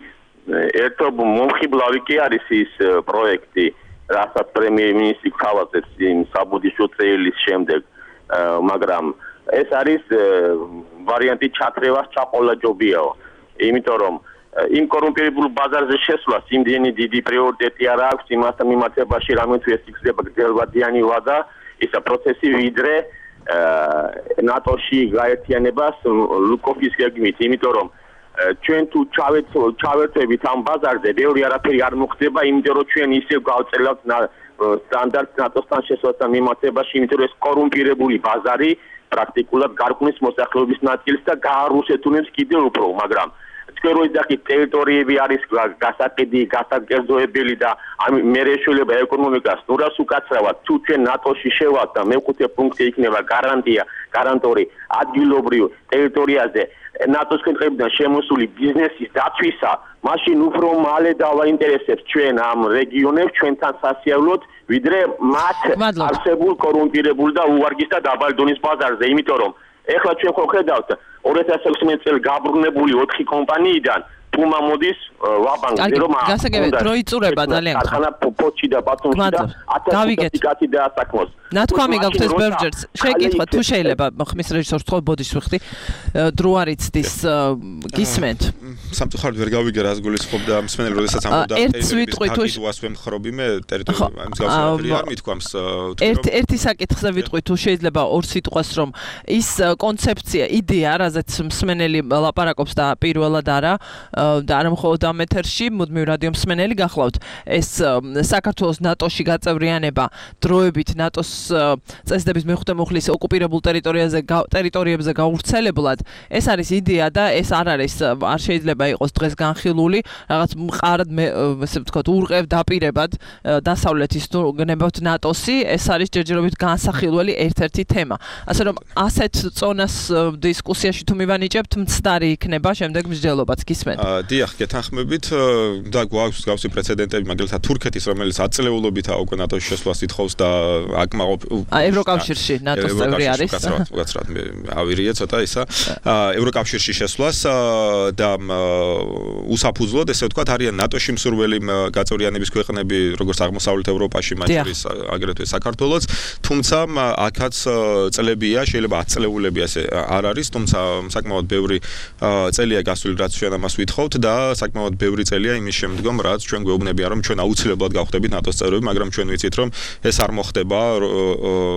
Speaker 4: ერთო მომხიბლავი კი არის ის პროექტი, რასაც პრემიერ-მინისტრი გთავაზებს იმ საბუდიშო წელის შემდეგ, მაგრამ ეს არის ვარიანტი ჩათრევას ჩაყოლაჯობიაო, იმიტომ რომ იმ კორუმპირებულ ბაზარზე შესვლას იმდენი დიდი პრიორიტეტი არ აქვს იმასთან მიმართებაში, რამე თუ ეს იქნება გრძელვადიანი ვადა, ისა პროცესი ვიდრე ნატოში გაერთიანებას ლუკოვის გეგმით, იმიტომ რომ ჩვენ თუ ჩავერთვებით ამ ბაზარზე, ბევრი არაფერი არ მოხდება, იმიტომ რომ ჩვენ ისევ გავწელავთ სტანდარტს ნატოსთან შესვლასთან მიმართებაში, იმიტომ რომ ეს კორუმპირებული ბაზარი პრაქტიკულად გარკვნის მოსახლეობის ნაწილს და გაარუსეთუნებს კიდევ უფრო, მაგრამ თქვენ რო იზახით ტერიტორიები არის გასაყიდი, გასაკერძოებელი და მე რეშველება ეკონომიკას ნურას უკაცრავად, თუ ჩვენ ნატოში შევალთ და მეხუთე პუნქტი იქნება გარანტორი ადგილობრივ ტერიტორიაზე ნატოს ქვეყნებიდან შემოსული ბიზნესის დაცვისა, მაშინ უფრო მალე დავაინტერესებთ ჩვენ ამ რეგიონებს ჩვენთან სასიარულოდ, ვიდრე მათ არსებულ კორუმპირებულ და უვარგის და დაბალი დონის ბაზარზე, იმიტომ რომ ეხლა ჩვენ ხო ხედავთ 2016 წელს გაბრუნებული 4 კომპანიიდან პუმა მოდის ვაბანკზე რომ
Speaker 2: გასაგებია დრო იწურება ძალიან
Speaker 4: ხანა პოჩი და ბატონში და 1000 კაცი და ასაკმოს
Speaker 2: ნათქვამი გაქვთ ეს ბევრჯერ შეკითხვა თუ შეიძლება ხმის რეჟისორს თქო ბოდიშს ვიხდი დრო არ იცდის გისმენთ
Speaker 3: სამწუხაროდ ვერ გავიგე რას გულისხმობდა მსმენელი როდესაც ამბობდა ტერიტორიის უასვე მხრობი მე ტერიტორია მსგავსი არ მithქვამს
Speaker 2: ერთი საკითხზე ვიტყვი თუ შეიძლება ორ სიტყვას რომ ის კონცეფცია იდეა რაზეც მსმენელი ლაპარაკობს და პირველად არა და არა მხოლოდ ამ ეთერში, მუდმივ რადიო მსმენელი გახლავთ. ეს საქართველოს ნატოში გაწევრიანება დროებით ნატოს წესდების მეხუთე მუხლის ოკუპირებულ ტერიტორიებზე გავრცელებლად. ეს არის იდეა და ეს არ შეიძლება იყოს დღეს განხილული, რაღაც მყარად ესე ვთქვათ, ურყევ დაპირებად დასავლეთის თუ გნებავთ ნატოსი, ეს არის ჯერჯერობით განსახილველი ერთ-ერთი თემა. ასე რომ ასეთ წონას დისკუსიაში თუ მივანიჭებთ, მცდარი იქნება შემდეგ მსჯელობაც გისმენთ.
Speaker 3: დიახ, გეთანხმებით და გვაქვს გავსი პრეცედენტები, მაგალითად თურქეთის, რომელიც აწლეულობით უკვე ნატოს შესვლას ითხოვს და აკმაყოფ
Speaker 2: ევროკავშირში ნატოს წევრი არის.
Speaker 3: უკაცრად მე ავირია ცოტა ისა. ევროკავშირში შესვლას და უსაფუძვლოდ ესე ვთქვათ არიან ნატოში მსურველი გაწევრიანების ქვეყნები, როგორც აღმოსავლეთ ევროპაში, მათ შორის აგრეთვე საქართველოც, თუმცა აქაც წლებია, შეიძლება 10 წლეულები ასე არ არის, თუმცა საკმაოდ ბევრი წელია გასული, რაც ჩვენ ამას ვითხოვთ და საკმაოდ ბევრი წელია იმის შემდგომ, რაც ჩვენ გვეუბნებიან, რომ ჩვენ აუცილებლად გავხდებით ნატოს წევრები, მაგრამ ჩვენ ვიცით, რომ ეს არ მოხდება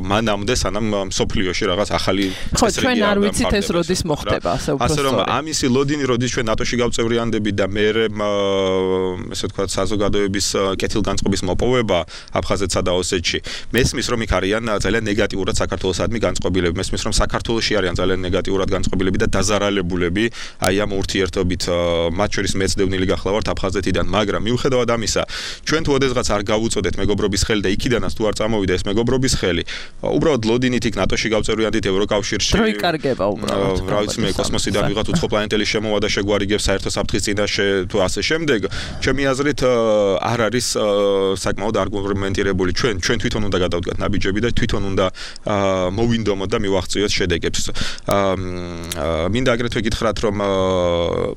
Speaker 3: მანამდე, სანამ მსოფლიოში რაღაც ახალი
Speaker 2: წესრიგი არ ჩვენ არ ვიცით ეს როდის მოხდება,
Speaker 3: ასე რომ ამისი ლოდინი როდის ჩვენ ნატოში გავწევრიანდებით და მე ესე ვთქვათ საზოგადოების კეთილგანწყობის მოპოვება აფხაზეთსა და ოსეთში მესმის რომ იქ არიან ძალიან ნეგატიურად საქართველოსადმი განწყობილები მესმის რომ საქართველოში არიან ძალიან ნეგატიურად განწყობილები და დაზარალებულები აი ამ ურთიერთობით მათ შორის მეც დევნილი გახლავართ აფხაზეთიდან მაგრამ მიუხედავად ამისა ჩვენ თუ ოდესღაც არ გავუწოდეთ მეგობრობის ხელი და იქიდანაც თუ არ წამოვიდა ეს მეგობრობის ხელი უბრალოდ ლოდინით იქ ნატოში გავწევრიანდით ევროკავშირში
Speaker 2: დრო იკარგება უბრალოდ
Speaker 3: რა ვიცი მე კოსმოსიდან ვიღაც უცხოპლანეტელი შემოვა და შეგვარიგებს საერთო საფრთხის წინაშე თუ ასე შემდეგ ჩემი აზრით არ არის საკმაოდ არგუმენტირებული ჩვენ თვითონ უნდა გადავდგათ ნაბიჯები და თვითონ უნდა მოვინდომოთ და მივაღწიოთ შედეგებს მინდა აგრეთვე გითხრათ რომ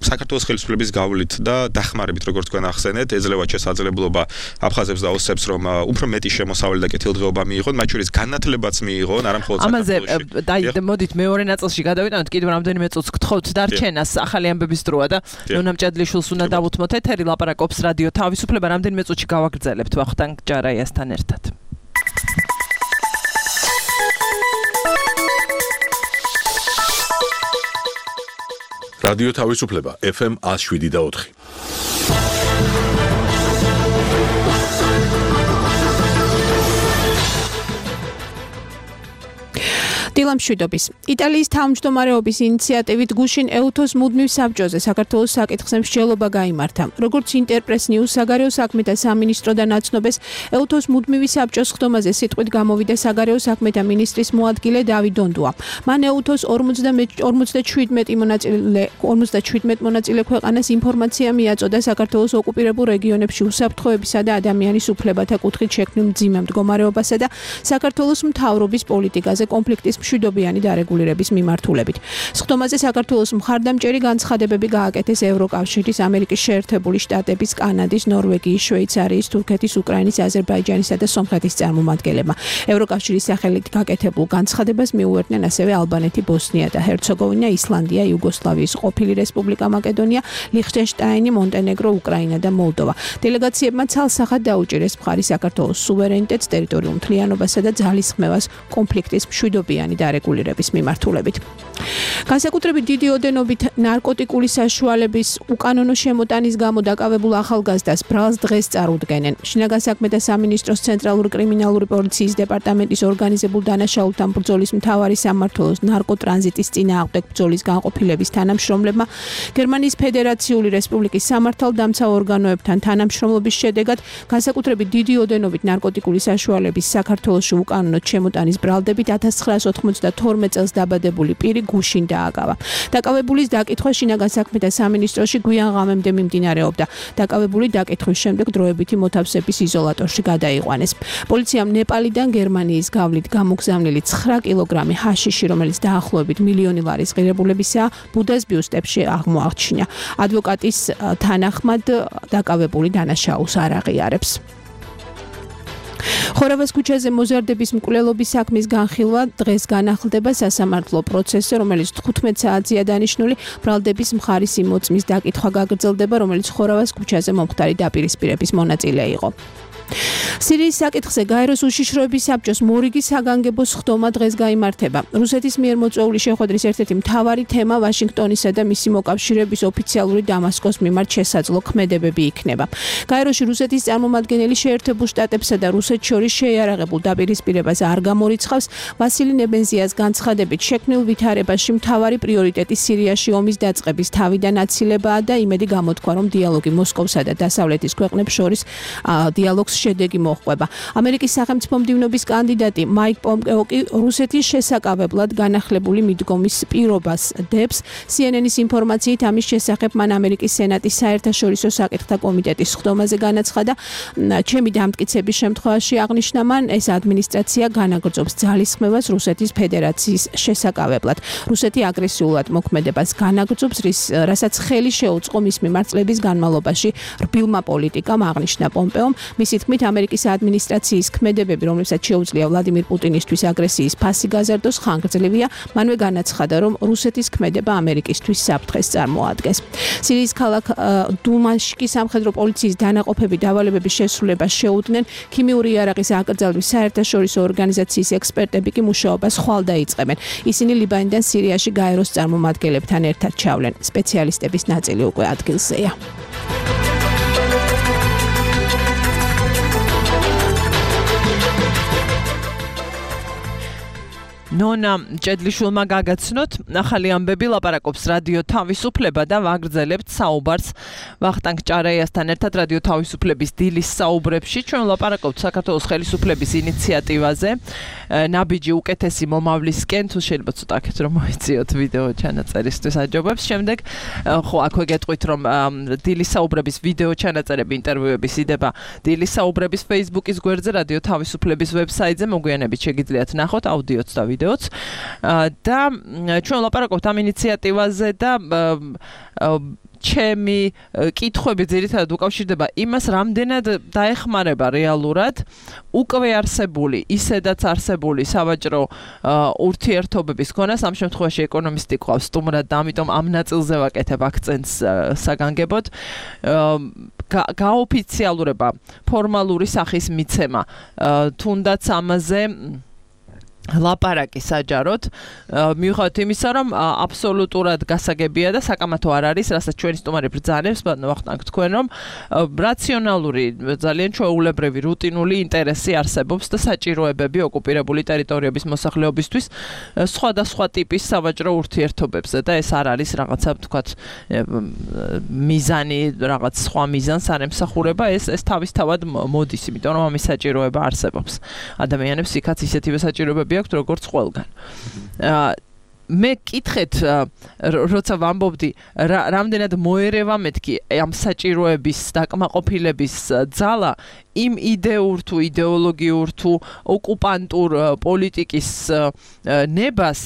Speaker 3: საქართველოს ხელისუფლების გავლით და დახმარებით როგორც თქვენ ახსენეთ ეძლევა შესაძლებლობა აფხაზებს და ოსებს რომ უფრო მეტი შემოსავალი და კეთილდღეობა მიიღონ მათ შორის განათლებაც მიიღონ არა მხოლოდ საქართველოში
Speaker 2: ამაზე მოდით მეორე ნაწილში გადავიტანოთ კიდევ რამდენიმე წუთს გთხოვთ დარჩენას ახალი ამბების დროა და ნონამ ჭადლიშვილს უნდა დავუთმოთ ეთერი ლაპარაკობს რადიო თავისუფლება რამდენიმე წუთში გავაგრძელებთ ვახტანგ ჯარაიასთან ერთად
Speaker 1: რადიო თავისუფლება FM 107.4
Speaker 5: დილამშვიდობის. იტალიის თავმჯდომარეობის ინიციატივით გუშინ ეუთოს მუდმივ საბჭოზე საქართველოს საკითხზე მსჯელობა გაიმართა. როგორც ინტერპრეს ნიუს საგარეო საქმეთა სამინისტრო და ნაცნობეს ეუთოს მუდმივი საბჭოს ხდომაზე სიტყვით გამოვიდა საგარეო საქმეთა მინისტრის მოადგილე დავით დონდუა. მან ეუთოს 57 მონაწილე ქვეყანას ინფორმაცია მიაწოდა საქართველოს ოკუპირებულ რეგიონებში უსაფრთხოებისა და ადამიანის უფლებათა კუთხით შექმნილ მძიმე მდგომარეობასა და საქართველოს მთავრობის პოლიტიკაზე კონფლიქტის მშვიდობიანი დარეგულირების მიმართულებით. სხდომაზე საქართველოს მხარდამჭერი განცხადებები გააკეთეს ევროკავშირის, ამერიკის შეერთებული შტატების, კანადის, ნორვეგიის, შვეიცარიის, თურქეთის, უკრაინის, აზერბაიჯანისა და სომხეთის წარმომადგენლებმა. ევროკავშირის სახელით გაკეთებულ განცხადებას მიუერთნენ ასევე ალბანეთი, ბოსნია და ჰერცეგოვინა, ისლანდია, იუგოსლავიის ყოფილი რესპუბლიკა მაკედონია, ლიხტენშტაინი, მონტენეგრო, უკრაინა და მოლდოვა. დელეგაციებმა ცალსახად დაუჭირეს მხარი საქართველოს სუვერენიტეტს, ტერიტორიულ მთლიანობასა და ძალისხმევას კონფლიქტის მშვიდობიანი დარეგულირების მიმართულებით. განსაკუთრებით დიდი ოდენობით ნარკოტიკული საშუალების უკანონო შემოტანის გამო დაკავებულ ახალგაზრდას ბრალს დღეს წარუდგენენ. შინაგან საქმეთა სამინისტროს ცენტრალური კრიმინალური პოლიციის დეპარტამენტის ორგანიზებულ დანაშაულთან ბრძოლის მთავარი სამმართველოს ნარკოტრანზიტის წინააღმდეგ ბრძოლის განყოფილების თანამშრომლებმა გერმანიის ფედერაციული რესპუბლიკის სამართალდამცა ორგანოებთან თანამშრომლობის შედეგად განსაკუთრებით დიდი ოდენობით ნარკოტიკული საშუალების საქართველოში უკანონოდ შემოტანის ბრალდებით 1992 წელს დაბადებული პირი გუშინ დააკავა. დაკავებულის დაკითხვა შინაგან საქმეთა სამინისტროში გვიან ღამემდე მიმდინარეობდა. დაკავებული დაკითხვის შემდეგ დროებითი მოთავსების იზოლატორში გადაიყვანეს. პოლიციამ ნეპალიდან გერმანიის გავლით გამოგზავნილი 9 კილოგრამი ჰაშიში, რომელიც დაახლოებით მილიონი ლარის ღირებულებისაა, ბუდას ბიუსტებში აღმოაჩინა. ადვოკატის თანახმად დაკავებული დანაშაულს არ აღიარებს. ხორავას ქუჩაზე მოზარდების მკვლელობის საქმის განხილვა დღეს განახლდება სასამართლო პროცესზე, რომელიც 15 საათზეა დანიშნული. ბრალდების მხარის იმოწმის დაკითხვა გაგრძელდება, რომელიც ხორავას ქუჩაზე მომხდარი დაპირისპირების მონაწილე იყო. სირიის საკითხზე გაეროს უშიშროების საბჭოს მორიგი საგანგებო სხდომა დღეს გაიმართება. რუსეთის მიერ მოწვეული შეხვედრის ერთ-ერთი მთავარი თემა ვაშინგტონისა და მისი მოკავშირეების ოფიციალური დამასკოს მიმართ შესაძლო ქმედებები იქნება. გაეროში რუსეთის წარმომადგენელი შეერთებულ შტატებსა და რუსეთს შორის შეიარაღებულ დაპირისპირებას არ გამორიცხავს. ვასილი ნებენზიას განცხადებით, შექმნილ ვითარებაში მთავარი პრიორიტეტი სირიაში ომის დაწყების თავიდან აცილებაა და იმედი გამოთქვა, რომ დიალოგი მოსკოვსა და დასავლეთის ქვეყნებს შორის დიალოგს შედეგი მოჰყვება. ამერიკის სახელმწიფო მდივნობის კანდიდატი მაიკ პომპეო კი რუსეთის შესაკავებლად განახლებული მიდგომის პირობას დებს. CNN-ის ინფორმაციით ამის შესახებ მან ამერიკის სენატის საერთაშორისო საკითხთა კომიტეტის სხდომაზე განაცხადა. ჩემი დამტკიცების შემთხვევაში აღნიშნა მან, ეს ადმინისტრაცია განაგრძობს ძალისხმევას რუსეთის ფედერაციის შესაკავებლად. რუსეთი აგრესიულად მოქმედებას განაგრძობს, რასაც ხელი შეუწყო მის მიმართ წლების განმავლობაში რბილმა პოლიტიკამ, აღნიშნა პომპეომ. მისი თქმით, ამერიკის ადმინისტრაციის ქმედებები, რომლებსაც შეუძლია ვლადიმირ პუტინისთვის აგრესიის ფასი გაზარდოს, ხანგრძლივია. მანვე განაცხადა, რომ რუსეთის ქმედება ამერიკისთვის საფრთხეს წარმოადგენს. სირიის ქალაქ დუმაშკის სამხედრო პოლიციის დანაყოფები დავალებების შესრულებას შეუდგნენ. ქიმიური იარაღის აკრძალვის საერთაშორისო ორგანიზაციის ექსპერტები კი მუშაობას ხვალ დაიწყებენ. ისინი ლიბანიდან სირიაში გაეროს წარმომადგენლებთან ერთად ჩავლენ. სპეციალისტების ნაწილი უკვე ადგილზეა.
Speaker 2: ნონა ჭედლიშვილმა გაგაცნოთ, ახალი ამბები ლაპარაკობს რადიო თავისუფლება და ვაგრძელებთ საუბარს ვახტანგ ჭარეიასთან ერთად რადიო თავისუფლების დილის საუბრებში. ჩვენ ლაპარაკობთ საქართველოს ხელისუფლების ინიციატივაზე ნაბიჯი უკეთესი მომავლისკენ, თუ შეიძლება ცოტა აქეთ რომ მოიწიოთ ვიდეო ჩანაწერისთვის აჯობებს. შემდეგ ხო აქვე გეტყვით რომ დილის საუბრების ვიდეო ჩანაწერები ინტერვიუების იდება დილის საუბრების Facebook-ის გვერდზე, რადიო თავისუფლების ვებსაიტზე, მოგვიანებით შეგიძლიათ ნახოთ აუდიოც და ვიდეოც და ჩვენ ლაპარაკობთ ამ ინიციატივაზე და ჩემი კითხვები ძირითადად უკავშირდება იმას, რამდენად დაეხმარება რეალურად უკვე არსებული, ისედაც არსებული სავაჭრო ურთიერთობების ქონას. ამ შემთხვევაში ეკონომისტი ყავს სტუმრად და ამიტომ ამ ნაწილზე ვაკეთებ აქცენტს საგანგებოდ. გაოფიციალურება, ფორმალური სახის მიცემა, თუნდაც ამაზე ლაპარაკი საჯაროდ მიუხედავად იმისა, რომ აბსოლუტურად გასაგებია და საკამათო არ არის, რასაც ჩვენი სტუმარი ბრძანებს, ვახტანგ თქვენ, რომ რაციონალური, ძალიან ჩვეულებრივი, რუტინული ინტერესი არსებობს და საჭიროებები ოკუპირებული ტერიტორიების მოსახლეობისთვის სხვადასხვა ტიპის სავაჭრო ურთიერთობებზე და ეს არ არის რაღაცა, ვთქვათ, მიზანი, რაღაც სხვა მიზანს არ ემსახურება, ეს თავისთავად მოდის, იმიტომ რომ ამის საჭიროება არსებობს. ადამიანებს იქაც ისეთივე საჭიროებები აქვს როგორც ყველგან. მე კითხეთ, როცა ვამბობდი, რამდენად მოერევა მეთქი ამ საჭიროების დაკმაყოფილების ძალა იმ იდეურ თუ იდეოლოგიურ თუ ოკუპანტურ პოლიტიკის ნებას,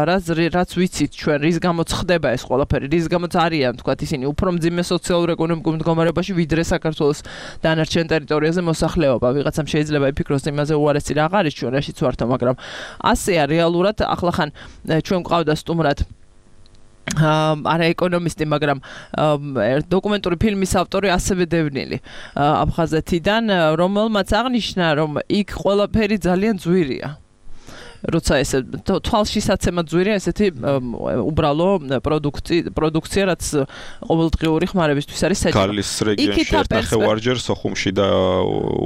Speaker 2: რაც ვიცით ჩვენ, რის გამოც ხდება ეს ყველაფერი, რის გამოც არიან, თქვათ, ისინი უფრო მძიმე სოციალურ-ეკონომიკურ მდგომარეობაში, ვიდრე საქართველოს დანარჩენ ტერიტორიაზე მოსახლეობა. ვიღაცამ შეიძლება იფიქროს იმაზე, უარესი რა არის ჩვენ რაშიც ვართო, მაგრამ ასეა რეალურად. ახლახან ჩვენ გვყავდა სტუმრად არა ეკონომისტი, მაგრამ დოკუმენტური ფილმის ავტორი ასევე დევნილი აფხაზეთიდან, რომელმაც აღნიშნა, რომ იქ ყველაფერი ძალიან ძვირია. როცა ესე თვალშისაცემა ძვირია ესეთი უბრალო პროდუქცია, რაც ყოველდღიური ხმარებისთვის არის საჭირო.
Speaker 3: გალის რეგიონში ერთნახევარჯერ, სოხუმში და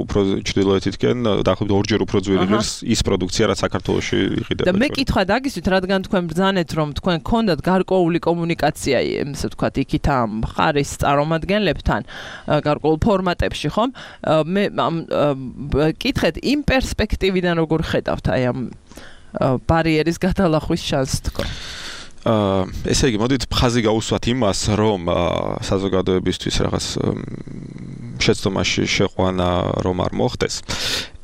Speaker 3: უფრო ჩრდილოეთითკენ დაახლოებით ორჯერ უფრო ძვირი ღირს ის პროდუქცია, რაც საქართველოში იყიდება.
Speaker 2: და მე კითხვა დაგისვით, რადგან თქვენ ბრძანეთ, რომ თქვენ გქონდათ გარკვეული კომუნიკაცია, ესე ვთქვათ, იქით ამ მხარის წარმომადგენლებთან, გარკვეულ ფორმატებში, ხომ? მე კითხეთ, იმ პერსპექტივიდან როგორ ხედავთ აი ამ ბარიერის გადალახვის შანსს თქო.
Speaker 3: ესე იგი, მოდით ხაზი გაუსვათ იმას, რომ საზოგადოებისთვის რაღაც შეცდომაში შეყვანა რომ არ მოხდეს.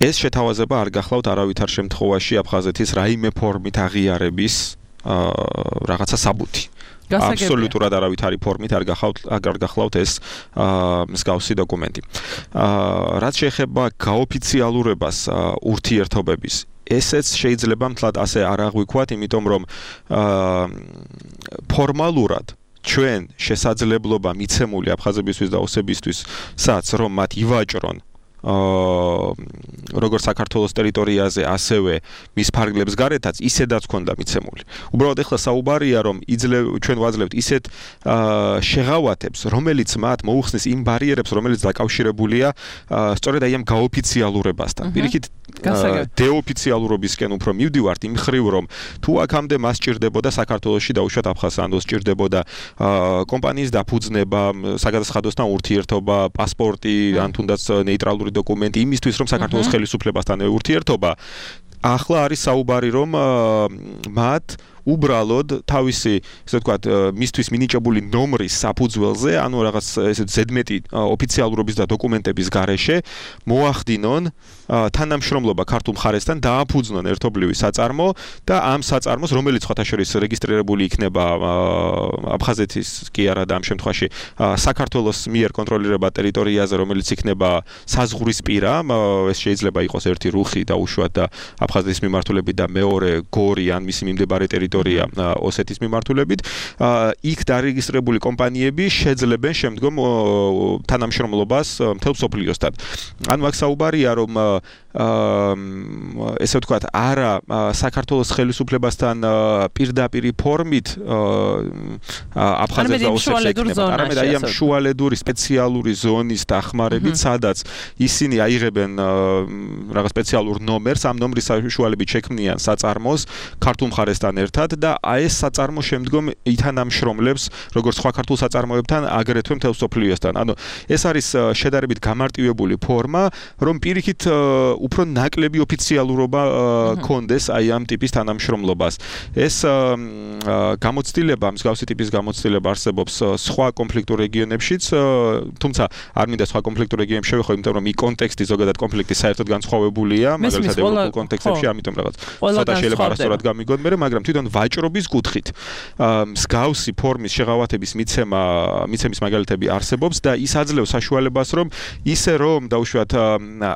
Speaker 3: ეს შეთავაზება არ გახლავთ არავითარ შემთხვევაში აფხაზეთის რაიმე ფორმით აღიარების რაღაცა საბუთი. აბსოლუტურად არავითარი ფორმით არ გახლავთ ეს მსგავსი დოკუმენტი. რაც შეეხება გაოფიციალურებას ურთიერთობების, ესეც შეიძლება მთლად ასე არ აღვიქვათ, იმიტომ რომ ფორმალურად ჩვენ შესაძლებლობა მიცემული აფხაზებისთვის და ოსებისთვის, სადაც რომ მათ ივაჭრონ როგორც საქართველოს ტერიტორიაზე, ასევე მის ფარგლებს გარეთაც ისედაც ქონდა მიცემული. უბრალოდ ეხლა საუბარია, რომ ჩვენ ვაძლევთ ისეთ შეღავათებს, რომელიც მათ მოუხსნის იმ ბარიერებს, რომელიც დაკავშირებულია სწორედ აი ამ გაოფიციალურებასთან. პირიქით დეოფიციალურობისკენ უფრო მივდივართ იმ ხრივ, რომ თუ აქამდე მას სჭირდებოდა საქართველოში დაუშვათ აფხაზსანდოს, სჭირდებოდა კომპანიის დაფუძნება, საგადასახადოსთან ურთიერთობა, პასპორტი, ან თუნდაც ნეიტრალური დოკუმენტი იმისთვის, რომ საქართველოს ხელისუფლებასთან ურთიერთობა. ახლა არის საუბარი, რომ მათ უბრალოდ თავისი, ესე ვთქვათ, მისთვის მინიჭებული ნომრის საფუძველზე, ანუ რაღაც ესე ზედმეტი ოფიციალურობის და დოკუმენტების გარეშე მოახდინონ თანამშრომლობა ქართულ მხარესთან, დააფუძნონ ერთობლივი საწარმო და ამ საწარმოს, რომელიც ხათაშორის რეგისტრირებული იქნება აფხაზეთის კი არა და ამ შემთხვევაში საქართველოს მიერ კონტროლირებად ტერიტორიაზე, რომელიც იქნება საზღვრისპირა, ეს შეიძლება იყოს ერთი რუხი დაუშვათ და აფხაზეთის მიმართულებით და მეორე გორი ან მისი მიმდებარე ტერიტორია ოსეთის მიმართულებით, იქ დარეგისტრირებული კომპანიები შეძლებენ შემდგომ თანამშრომლობას მთელ მსოფლიოსთან. ანუ აქ საუბარია, რომ ესე ვთქვათ, არა საქართველოს ხელისუფლებასთან პირდაპირი ფორმით აფხაზებს და ოსებს ეკნება, არამედ აი ამ შუალედური სპეციალური ზონის დახმარებით, სადაც ისინი აიღებენ რაღაც სპეციალურ ნომერს, ამ ნომრის საშუალებით შექმნიან საწარმოს ქართულ მხარესთან ერთად და აი ეს საწარმო შემდგომ ითანამშრომლებს როგორც სხვა ქართულ საწარმოებთან, აგრეთვე მთელ მსოფლიოსთან. ანუ ეს არის შედარებით გამარტივებული ფორმა, რომ პირიქით უფრო ნაკლები ოფიციალურობა კონდეს აი ამ ტიპის თანამშრომლობას. ეს გამოცდილება, მსგავსი ტიპის გამოცდილება არსებობს სხვა კონფლიქტურ რეგიონებშიც, თუმცა არ მინდა სხვა კონფლიქტურ რეგიონებში შევეხო, იმიტომ რომ ის კონტექსტი ზოგადად კონფლიქტის საერთოდ განსხვავებულია, მაგალითად ევროპულ კონტექსტებში, ამიტომ რაღაც ცოტა შეიძლება არასწორად გამიგონ, მაგრამ თვითონ ვაჭრობის კუთხით მსგავსი ფორმის შეღავათების მიცემის მაგალითები არსებობს და ის აძლევს საშუალებას, რომ ისე რომ დაუშვათ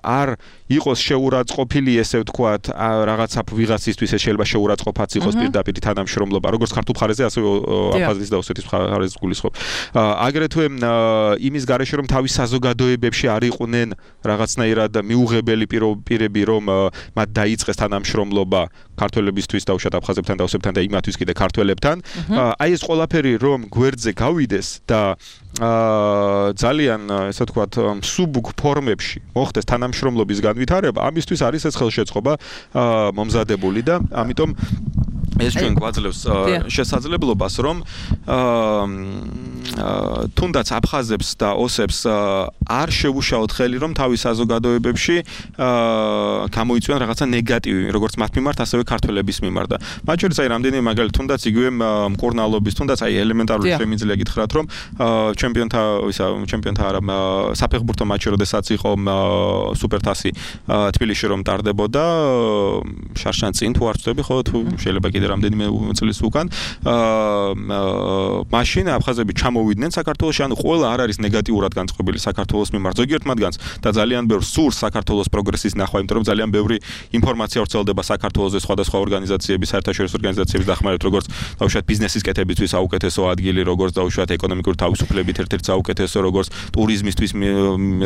Speaker 3: არ იყოს შეურაცხყოფილი, ესე ვთქვათ, რაღაცა ვიღაცისთვის ეს შეიძლება შეურაცხყოფაც იყოს პირდაპირ თანამშრომლობა, როგორც ქართულ მხარეზე, ასევე აფხაზეთის და ოსეთის მხარეზე გულისხმობ. აგრეთვე იმის გარეშე, რომ თავის საზოგადოებებში არ იყვნენ რაღაცნაირად მიუღებელი პირები, რომ მათ დაიწყეს თანამშრომლობა ქართველებისთვის, დაუშვათ აფხაზებთან და ოსებთან და იმათთვის კიდე ქართველებთან. აი ეს ყველაფერი რომ გვერდზე გავიდეს და ძალიან, ესე ვთქვათ, სუბუქ ფორმებში მოხდეს თანამშრომლობის განვითარება, ამისთვის არის ეს ხელშეწყობა მომზადებული და ამიტომ ეს ჩვენ გვაძლევს შესაძლებლობას, რომ თუნდაც აფხაზებს და ოსებს არ შევუშაოთ ხელი, რომ თავის საზოგადოებებში გამოიწვიონ რაღაცა ნეგატივი, როგორც მათ მიმართ, ასევე ქართველების მიმართ. და მათ შორის აი რამდენიმე მაგალითი, თუნდაც იგივე მკურნალობის, თუნდაც აი ელემენტარული შემიძლია გითხრათ, რომ ჩემპიონთა არა საფეხბურთო მატჩი, როდესაც იყო სუპერთასი თბილისში რომ ტარდებოდა, შარშან წინ თუ არ ვწდები, ხო, თუ შეიძლება კიდე რამდენიმე წლის უკან, მაშინ აფხაზები ჩამოვიდნენ საქართველოში, ანუ ყველა არ არის ნეგატიურად განწყობილი საქართველოს მიმართ, ზოგიერთ მათგანს და ძალიან ბევრ სურს საქართველოს პროგრესის ნახვა, იმიტომ რომ ძალიან ბევრი ინფორმაცია ვრცელდება საქართველოს სხვადასხვა ორგანიზაციების, საერთაშორისო ორგანიზაციების დახმარებით, როგორც დაუშვათ ბიზნესის კეთებისთვის საუკეთესო ადგილი, როგორც დაუშვათ ეკონომიკური თავისუფლებით ერთ-ერთი საუკეთესო, როგორც ტურიზმისთვის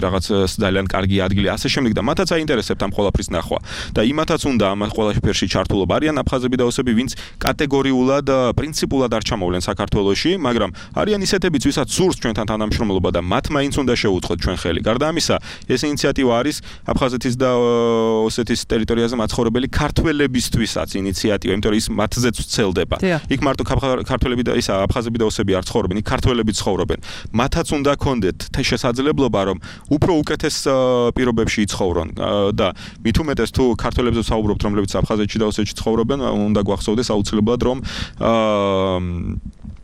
Speaker 3: რაღაც ძალიან კარგი ადგილი, ასე შემდეგ და მათაც აინტერესებთ ამ ყველაფრის ნახვა. და იმათაც უნდა ამ ყველაფერში ჩართულობა. არიან აფხაზები და ოსები, ვინც კატეგორიულად, პრინციპულად არ ჩამოვლენ საქართველოში, მაგრამ არიან ისეთებიც, ვისაც სურს ჩვენთან თანამშრომლობა და მათ მაინც უნდა შევუწყოთ ჩვენ ხელი. გარდა ამისა, ეს ინიციატივა არის აფხაზეთის და ოსეთის ტერიტორიაზე მაცხოვრებელი ქართველებისთვისაც ინიციატივა, იმიტომ რომ ის მათზეც ვრცელდება. იქ მარტო ქართველები და ისა აფხაზები და ოსები არ ცხოვრობენ, იქ ქართველები ცხოვრობენ. მათაც უნდა ქონდეთ შესაძლებლობა, რომ უფრო უკეთეს პირობებში იცხოვრონ და მით უმეტეს თუ ქართველებზე ვსაუბრობთ, რომლებიც აფხაზეთში და ოსეთში ცხოვრობენ, უნდა გვახსოვდეს აუცილებლად, რომ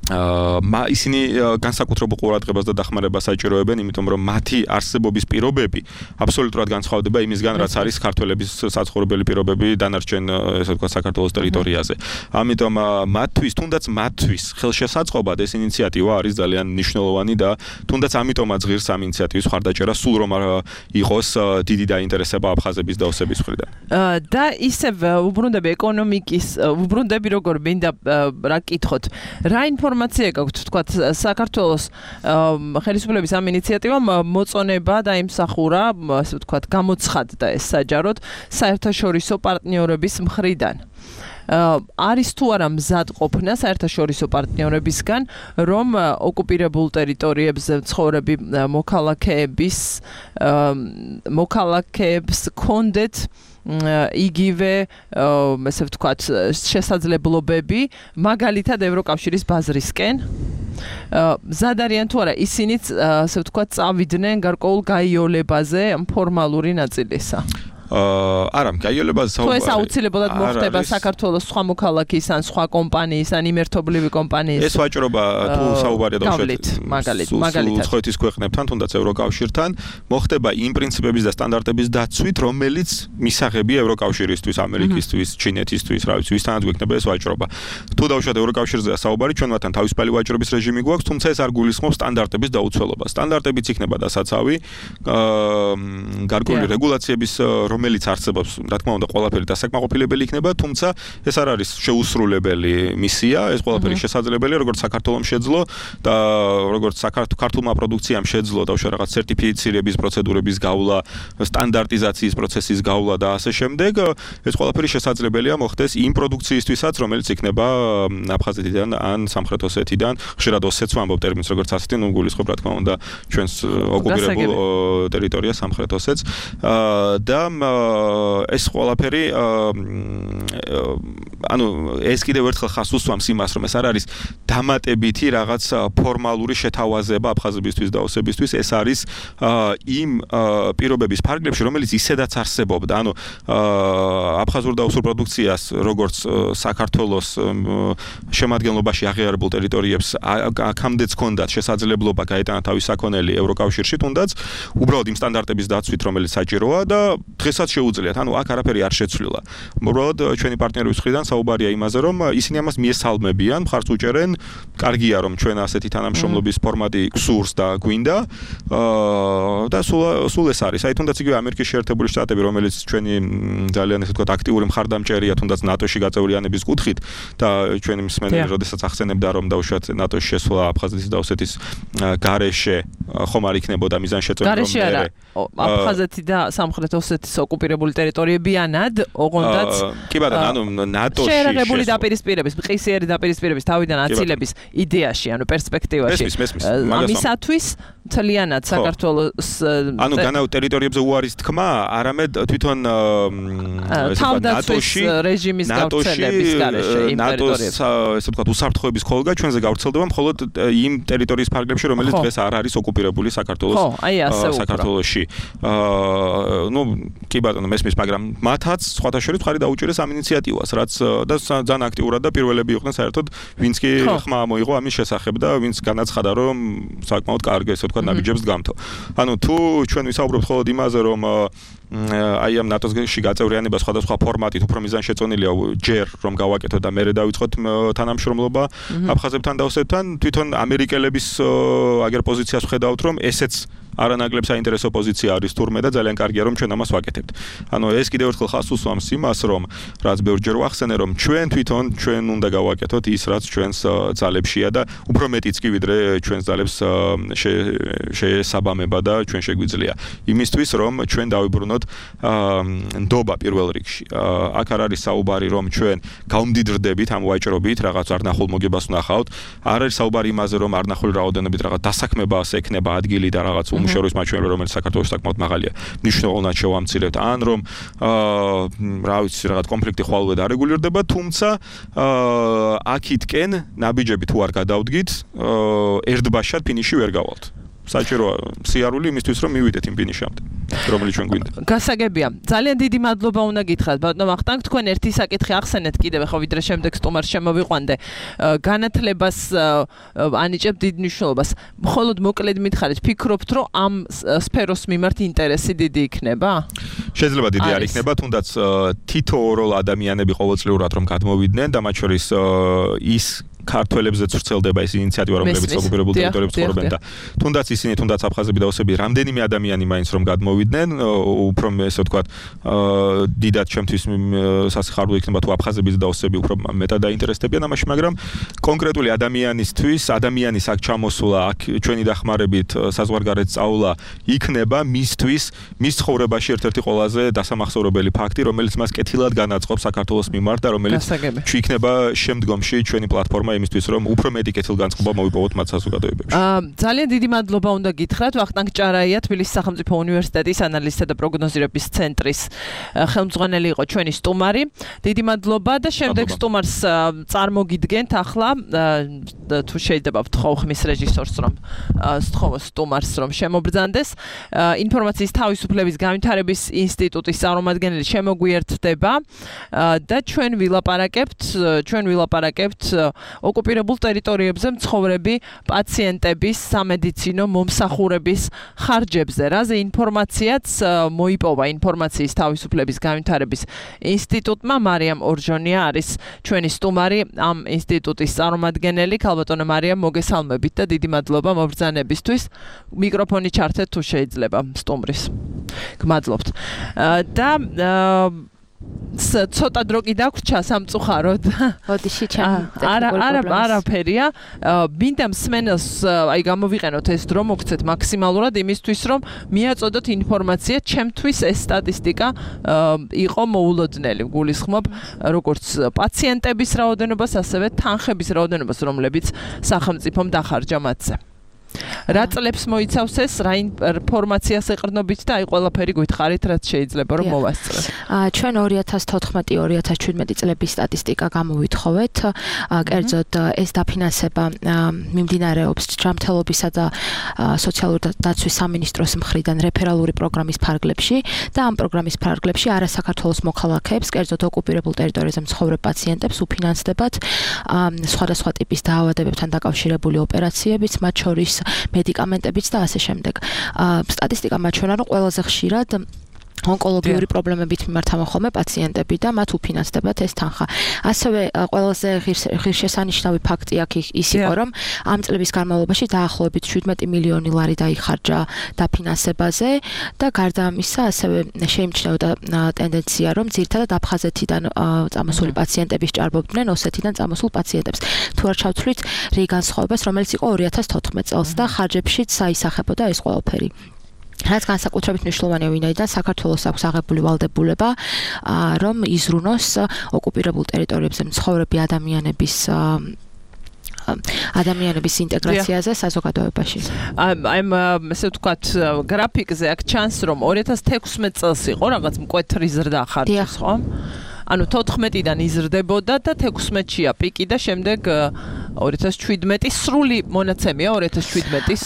Speaker 3: ისინი განსაკუთრებულ ყურადღებას და დახმარებას საჭიროებენ, იმიტომ რომ მათი არსებობის პირობები აბსოლუტურად განსხვავდება იმისგან, რაც არის ქართველების საცხოვრებელი პირობები დანარჩენ, ესე ვთქვათ, საქართველოს ტერიტორიაზე. ამიტომ მათთვის, თუნდაც მათთვის ხელშესაწყობად ეს ინიციატივა არის ძალიან მნიშვნელოვანი და თუნდაც ამიტომაც ღირს ამ ინიციატივის მხარდაჭერა, სულ რომ იყოს დიდი დაინტერესება აფხაზების და ოსების მხრიდან.
Speaker 2: და ისევ უბრუნდები ეკონომიკის, უბრუნდები როგორ მინდა რა კითხოთ, რა ინფორმაცია გაქვთ, თქვათ, საქართველოს ხელისუფლების ამ ინიციატივამ მოწონება დაიმსახურა, ასე ვთქვათ, გამოცხადდა ეს საჯაროდ საერთაშორისო პარტნიორების მხრიდან. არის თუ არა მზად ყოფნა საერთაშორისო პარტნიორებისგან, რომ ოკუპირებულ ტერიტორიებზე მცხოვრები მოქალაქეებს კონდეთ იგივე ესე ვთქვათ შესაძლებლობები მაგალითად ევროკავშირის ბაზრისკენ მზად არიან თუ არა ისინიც ასე ვთქვათ წავიდნენ გარკვეულ გაიოლებაზე ფორმალური ნაწილისა
Speaker 3: არა, გაიოლებაზე
Speaker 2: საუბარი. თუ ეს აუცილებლად მოხდება საქართველოს სხვა მოქალაქის ან სხვა კომპანიის ან იმერთობლივი კომპანიის.
Speaker 3: ეს ვაჭრობა თუ საუბარია
Speaker 2: დავუშვათ მაგალითად.
Speaker 3: უცხოეთის ქვეყნებთან, თუნდაც ევროკავშირთან, მოხდება იმ პრინციპების და სტანდარტების დაცვით, რომელიც მისაღებია ევროკავშირისთვის, ამერიკისთვის, ჩინეთისთვის, რა ვიცი, ვისთანაც გვექნება ეს ვაჭრობა. თუ დავუშვათ ევროკავშირზეა საუბარი, ჩვენ მათთან თავისუფალი ვაჭრობის რეჟიმი გვაქვს, თუმცა ეს არ გულისხმობს სტანდარტების დაუცველობას. სტანდარტებიც იქნება დასაცავი, გარკვეული რეგულაციების რომელიც არსებობს, რა თქმა უნდა, ყველაფერი დასაკმაყოფილებელი იქნება, თუმცა ეს არ არის შეუსრულებელი მისია, ეს ყველაფერი შესაძლებელია, როგორც საქართველოს შეძლო და როგორც ქართულმა პროდუქციამ შეძლო და რაღაც სერტიფიცირების პროცედურების გავლა, სტანდარტიზაციის პროცესის გავლა და ასე შემდეგ, ეს ყველაფერი შესაძლებელია მოხდეს იმ პროდუქციისთვისაც, რომელიც იქნება აფხაზეთიდან ან სამხრეთ ოსეთიდან, ხშირად ოსეთს ვამბობ ტერმინს, როგორც ასეთი, ნუ გულისხმობ, რა თქმა უნდა, ჩვენს ოკუპირებულ ტერიტორიას სამხრეთ ოსეთს და ეს ყველაფერი ანუ ეს კიდევ ერთხელ ხას უსვამს იმას, რომ ეს არ არის დამატებითი რაღაც ფორმალური შეთავაზება აფხაზებისთვის და ოსებისთვის, ეს არის იმ პირობების ფარგლებში, რომელიც ისედაც არსებობდა. ანუ აფხაზურ და ოსურ პროდუქციას, როგორც საქართველოს შემადგენლობაში აღიარებულ ტერიტორიებს აქამდეც ჰქონდათ შესაძლებლობა გაეტანა თავის საქონელი ევროკავშირში, თუნდაც უბრალოდ იმ სტანდარტების დაცვით, რომელიც საჭიროა და დღესაც შეუძლიათ. ანუ აქ არაფერი არ შეცვლილა. უბრალოდ ჩვენი პარტნიორების მხრიდან საუბარია იმაზე, რომ ისინი ამას მიესალმებიან, მხარს უჭერენ, კარგია რომ ჩვენ ასეთი თანამშრომლობის ფორმატი გსურს და გვინდა. და სულ ეს არის. აი თუნდაც იგივე ამერიკის შეერთებული შტატები, რომელიც ჩვენი ძალიან ესე ვთქვათ აქტიური მხარდამჭერია, თუნდაც ნატოში გაწევრიანების კუთხით და ჩვენი მსმენელი როდესაც ახსენებდა, რომ დაუშვათ ნატოში შესვლა აფხაზეთის და ოსეთის გარეშე ხომ არ იქნებოდა მიზანშეწონილი რომ
Speaker 2: მერე აფხაზეთი და სამხრეთ ოსეთის ოკუპირებული ტერიტორიებიანად, ოღონდაც
Speaker 3: კი ბატონო, ანუ ნატოში
Speaker 2: შეერაღებული დაპირისპირების, მყისიერი დაპირისპირების თავიდან აწილების იდეაში, ანუ პერსპექტივაში. ამისათვის მთლიანად საქართველოს
Speaker 3: ანუ განაუ ტერიტორიებზე უარის თქმა, არამედ თვითონ
Speaker 2: თავდაცვის რეჟიმის გავრცელების გარეშე იმ ტერიტორიებზე.
Speaker 3: ესე ვთქვათ, უსაფრთხოების ხოლგა ჩვენზე გავრცელდება მხოლოდ იმ ტერიტორიის ფარგლებში, რომელიც დღეს არ არის ოკუპირებული საქართველოში. ნუ კი ბატონო, მესმის, მაგრამ მათაც სხვათა შორის მხარი დაუჭერეს ამ ინიციატივას, რაც და ძალიან აქტიურად და პირველები იყვნენ საერთოდ, ვინც კი ხმა მოიღო ამის შესახებ და ვინც განაცხადა, რომ საკმაოდ კარგი ესე ვთქვათ ნაბიჯებს დგამთო. ანუ თუ ჩვენ ვისაუბრებთ მხოლოდ იმაზე, რომ აი ამ ნატოში გაწევრიანება სხვადასხვა ფორმატით უფრო მიზანშეწონილია ჯერ რომ გავაკეთოთ და მერე დავიწყოთ თანამშრომლობა აფხაზებთან და ოსებთან, თვითონ ამერიკელების აგერ პოზიციას ვხედავთ, რომ ესეც არანაკლებ საინტერესო პოზიცია არის თურმე და ძალიან კარგია რომ ჩვენ ამას ვაკეთებთ. ანუ ეს კიდევ ერთხელ ხას უსვამს იმას, რომ რაც ბევრჯერ ვახსენე, რომ ჩვენ უნდა გავაკეთოთ ის, რაც ჩვენს ძალებშია და უფრო მეტიც კი ვიდრე ჩვენს ძალებს შეესაბამება და ჩვენ შეგვიძლია. იმისთვის რომ ჩვენ დავიბრუნოთ ნდობა პირველ რიგში. აქ არ არის საუბარი რომ ჩვენ გავმდიდრდებით ამ ვაჭრობით, რაღაც არნახულ მოგებას ვნახავთ. არ არის საუბარი იმაზე რომ არნახული რაოდენობით რაღაც დასაქმებას ექნება ადგილი და რაღაც უმუშევრობის მაჩვენებელი, რომელიც საქართველოს საკმაოდ მაღალია, მნიშვნელოვნად შევამცირებთ, ან რომ რა ვიცი, რაღაც კონფლიქტი ხვალვე დარეგულირდება, თუმცა აქითკენ ნაბიჯები თუ არ გადავდგით, ერთბაშად ფინიში ვერ გავალთ. საჭიროა სიარული იმისთვის, რომ მივიდეთ იმ ფინიშამდე, რომელიც ჩვენ გვინდა.
Speaker 2: გასაგებია. ძალიან დიდი მადლობა უნდა გითხრათ, ბატონო ვახტანგ, თქვენ ერთი საკითხი ახსენეთ კიდევ, ხო ვიდრე შემდეგ სტუმარს შემოვიყვანდე. განათლებას ანიჭებ დიდ მნიშვნელობას. მხოლოდ მოკლედ მითხარით, ფიქრობთ, რომ ამ სფეროს მიმართ ინტერესი დიდი იქნება?
Speaker 3: შეიძლება დიდი არ იქნება, თუნდაც თითოეულ ადამიანები ყოველწლიურად რომ გადმოვიდნენ და მათ შორის ის ქართველებზეც ვრცელდება ეს ინიციატივა, რომლებიც ოკუპირებულ ტერიტორიებში ცხოვრობენ და თუნდაც ისინი, თუნდაც აფხაზები და ოსები, რამდენიმე ადამიანი მაინც რომ გადმოვიდნენ, უფრო ესე ვთქვათ, დიდად ჩემთვის სასიხარულო იქნება თუ აფხაზები და ოსები უფრო მეტად დაინტერესდებიან ამაში, მაგრამ კონკრეტული ადამიანის აქ ჩამოსვლა, აქ ჩვენი დახმარებით საზღვარგარეთ სწავლა იქნება მისთვის, მის ცხოვრებაში ერთ-ერთი ყველაზე დასამახსოვრებელი ფაქტი, რომელიც მას კეთილად განაწყობს საქართველოს მიმართ და რომელიც იქნება შემდგომში ჩვენი პლატფორმა იმისთვის, რომ უფრო მეტი კეთილგანწყობა მოვიპოვოთ მათ საზოგადოებებში.
Speaker 2: ძალიან დიდი მადლობა უნდა გითხრათ ვახტანგ ჭარაია, თბილისის სახელმწიფო უნივერსიტეტის ანალიზთა და პროგნოზირების ცენტრის ხელმძღვანელი იყო ჩვენი სტუმარი. დიდი მადლობა და შემდეგ სტუმარს წარმოგიდგენთ ახლა თუ შეიძლება ვთხოვ ხმის რეჟისორს რომ სტუმარს რომ შემობრძანდეს. ინფორმაციის თავისუფლების განვითარების ინსტიტუტის წარმომადგენელი შემოგვიერთდება და ჩვენ ვილაპარაკებთ ოკუპირებულ ტერიტორიებზე მცხოვრები პაციენტების სამედიცინო მომსახურების ხარჯებზე. რაზე ინფორმაციაც მოიპოვა ინფორმაციის თავისუფლების განვითარების ინსტიტუტმა. მარიამ ორჟონია არის ჩვენი სტუმარი, ამ ინსტიტუტის წარმომადგენელი. ქალბატონო მარიამ, მოგესალმებით და დიდი მადლობა მობრძანებისთვის. მიკროფონი ჩართეთ თუ შეიძლება სტუმრის. გმადლობთ. და ცოტა დრო კი დაგვრჩა სამწუხაროდ.
Speaker 6: ოდიში ჩემ
Speaker 2: არაფერია. მინდა მსმენელს აი გამოვიყენოთ ეს დრო მოგცეთ მაქსიმალურად იმისთვის რომ მიაწოდოთ ინფორმაცია, ჩემთვის ეს სტატისტიკა იყო მოულოდნელი. გულისხმობ როგორც პაციენტების რაოდენობას, ასევე თანხების რაოდენობას, რომლებიც სახელმწიფომ დახარჯა მათზე. რა წლებს მოიცავს ეს, რა ინფორმაციას ეყრდნობით და აი ყველაფერი გითხარით, რაც შეიძლება რომ მოვასწროთ.
Speaker 6: ჩვენ 2014-2017 წლების სტატისტიკა გამოვითხოვეთ. კერძოდ ეს დაფინანსება მიმდინარეობს ჯანმრთელობისა და სოციალური დაცვის სამინისტროს მხრიდან რეფერალური პროგრამის ფარგლებში და ამ პროგრამის ფარგლებში არასაქართლოს მოქალაქეებს, კერძოდ ოკუპირებულ ტერიტორიაზე მცხოვრებ პაციენტებს უფინანსდებათ სხვადასხვა ტიპის დაავადებებთან დაკავშირებული ოპერაციებიც, მათ შორის მედიკამენტებიც და ასე შემდეგ. სტატისტიკა მაჩვენა, რომ ყველაზე ხშირად ონკოლოგიური პრობლემებით მიმართავენ ხოლმე პაციენტები და მათ უფინანსდებათ ეს თანხა. ასევე ყველაზე ღირსშესანიშნავი ფაქტი აქ ის იყო, რომ ამ წლების განმავლობაში დაახლოებით 17 მილიონი ლარი დაიხარჯა დაფინანსებაზე და გარდა ამისა ასევე შეიმჩნეოდა ტენდენცია, რომ ძირითადად აფხაზეთიდან წამოსული პაციენტები სჭარბობდნენ ოსეთიდან წამოსულ პაციენტებს. თუ არ ჩავთვლით რიგ განსხვავებას, რომელიც იყო 2014 წელს და ხარჯებშიც აისახებოდა ეს ყველაფერი. რაც განსაკუთრებით მნიშვნელოვანია, ვინაიდან საქართველოს აქვს აღებული ვალდებულება, რომ იზრუნოს ოკუპირებულ ტერიტორიებზე მცხოვრები ადამიანების ინტეგრაციაზე საზოგადოებაში.
Speaker 2: აი ესე ვთქვათ, გრაფიკზე აქ ჩანს, რომ 2016 წელს იყო რაღაც მკვეთრი ზრდა ხარჯის, ხო? ანუ 14-დან იზრდებოდა და 16-ია პიკი და შემდეგ 2017 სრული მონაცემია 2017-ის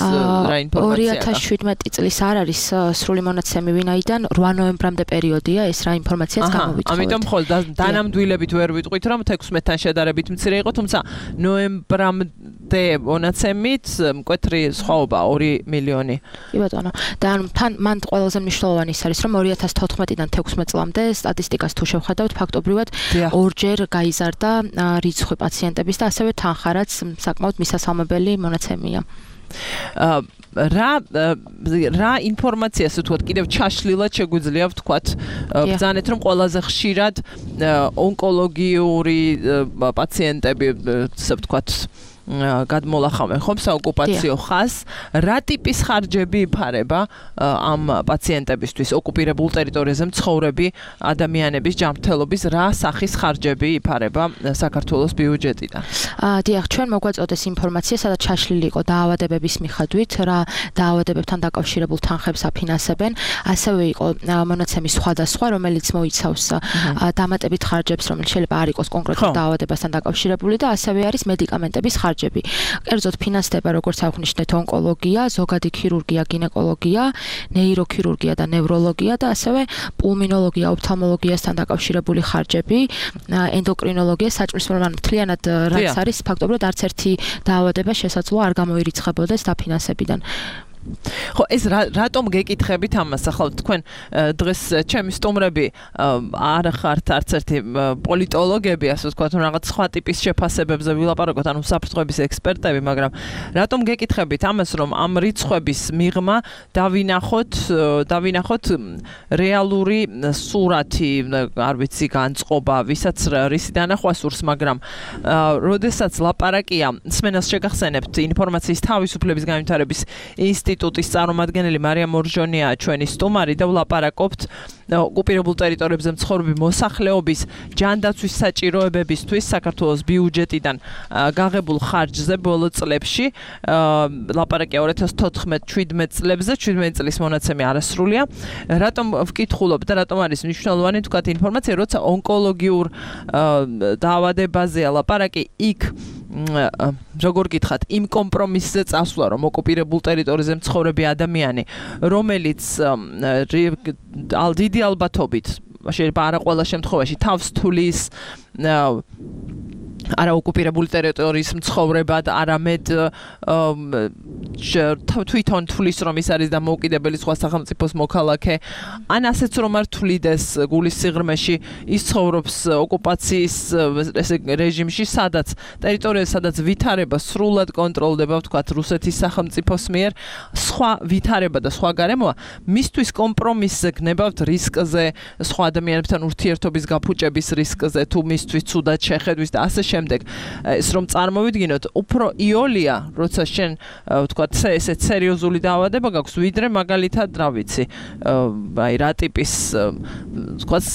Speaker 2: რა ინფორმაცია.
Speaker 6: 2017 წლის არ არის სრული მონაცემი, ვინაიდან 8 ნოემბრამდე პერიოდია ეს რა ინფორმაციაც გამოვითხოვეთ.
Speaker 2: ამიტომ ხოლმე დანამდვილებით ვერ ვიტყვით, რომ 16-თან შედარებით მცირე იყო, თუმცა ნოემბრამდე მონაცემით მკვეთრი სხვაობა 2 მილიონი.
Speaker 6: კი ბატონო. და მან ყველაზე მნიშვნელოვანი ის არის, რომ 2014-დან 16 წლამდე სტატისტიკას თუ შევხედავთ, ფაქტობრივად ორჯერ გაიზარდა რიცხვი პაციენტების და ასევე თანხა, რაც საკმაოდ მისასალმებელი მონაცემია. რა ინფორმაციას ვთქვათ, კიდევ ჩაშლილად შეგვიძლია ვთქვათ, ბრძანეთ, რომ ყველაზე ხშირად ონკოლოგიური პაციენტები, ასე ვთქვათ, გადმოლახავენ ხომ საოკუპაციო ხაზს, რა ტიპის ხარჯები იფარება ამ პაციენტებისთვის, ოკუპირებულ ტერიტორიაზე მცხოვრები ადამიანების ჯანმრთელობის რა სახის ხარჯები იფარება საქართველოს ბიუჯეტიდან? დიახ, ჩვენ მოგვაწოდეს ინფორმაცია, სადაც ჩაშლილი იყო დაავადებების მიხედვით, რა დაავადებებთან დაკავშირებულ თანხებს აფინანსებენ, ასევე იყო მონაცემი სხვადასხვა, რომელიც მოიცავს დამატებით ხარჯებს, რომელიც შეიძლება არ იყოს კონკრეტულ დაავადებასთან დაკავშირებული და ასევე არის მედიკამენტების ხარჯები. კერძოდ ფინანსდება, როგორც აღნიშნეთ, ონკოლოგია, ზოგადი ქირურგია, გინეკოლოგია, ნეიროქირურგია და ნევროლოგია და ასევე პულმინოლოგია, ოფთალმოლოგიასთან დაკავშირებული ხარჯები, ენდოკრინოლოგია, საჭმლის მთლიანად რაც არის, ფაქტობრივად არც ერთი დაავადება შესაძლოა არ გამოირიცხებოდეს დაფინანსებიდან.
Speaker 2: ხო ეს რატომ გეკითხებით ამას ახლა თქვენ დღეს ჩემი სტუმრები არ ხართ არც ერთი პოლიტოლოგები ასე ვთქვათ რაღაც სხვა ტიპის შეფასებებზე ვილაპარაკოთ ანუ საფრთხების ექსპერტები მაგრამ რატომ გეკითხებით ამას რომ ამ რიცხვების მიღმა დავინახოთ რეალური სურათი არ ვიცი განწყობა ვისაც რისი დანახვა სურს მაგრამ როდესაც ლაპარაკია სმენას შეგახსენებთ ინფორმაციის თავისუფლების განვითარების ინსტიტუტის წარმომადგენელი მარია მორჟონია ჩვენი სტუმარი და ვლაპარაკობთ ოკუპირებულ ტერიტორიებზე მცხოვრები მოსახლეობის ჯანდაცვის საჭიროებებისთვის საქართველოს ბიუჯეტიდან გაღებულ ხარჯზე ბოლო წლებში ლაპარაკია 2014-17 წლებზე 17 წლის მონაცემი არასრულია რატომ ვკითხულობ და რატომ არის მნიშვნელოვანი თქვათ ინფორმაცია როცა ონკოლოგიურ დაავადებაზეა ლაპარაკი იქ როგორ გითხათ იმ კომპრომისზე წასვლა რომ ოკუპირებულ ტერიტორიაზე მცხოვრები ადამიანი რომელიც დიდი ალბათობით შეიძლება არა ყველა შემთხვევაში თავს თulis არა ოკუპირებული ტერიტორიის მცხოვრებად არამედ თვითონ თulis რომ ის არის დამოუკიდებელი სხვა სახელმწიფოს მოქალაქე ან ასეც რომ არ თulides გულის სიღრმეში ის ცხოვრობს ოკუპაციის ესე რეჟიმში სადაც ტერიტორიაზე სადაც ვითარება სრულად კონტროლდება ვთქვათ რუსეთის სახელმწიფოს მიერ სხვა ვითარება და სხვა გარემოა მისთვის კომპრომისზე გნებავთ რისკზე სხვა ადამიანებთან ურთიერთობის გაფუჭების რისკზე თუ მისთვის ცუდად შეხედვის და ასე შემდეგ ეს რომ წარმოვიდგინოთ უფრო იოლია როცა შენ ვთქვათ ესეც სერიოზული დაავადება გაქვს ვიდრე მაგალითად რა ვიცი აი რა ტიპის ვთქვათ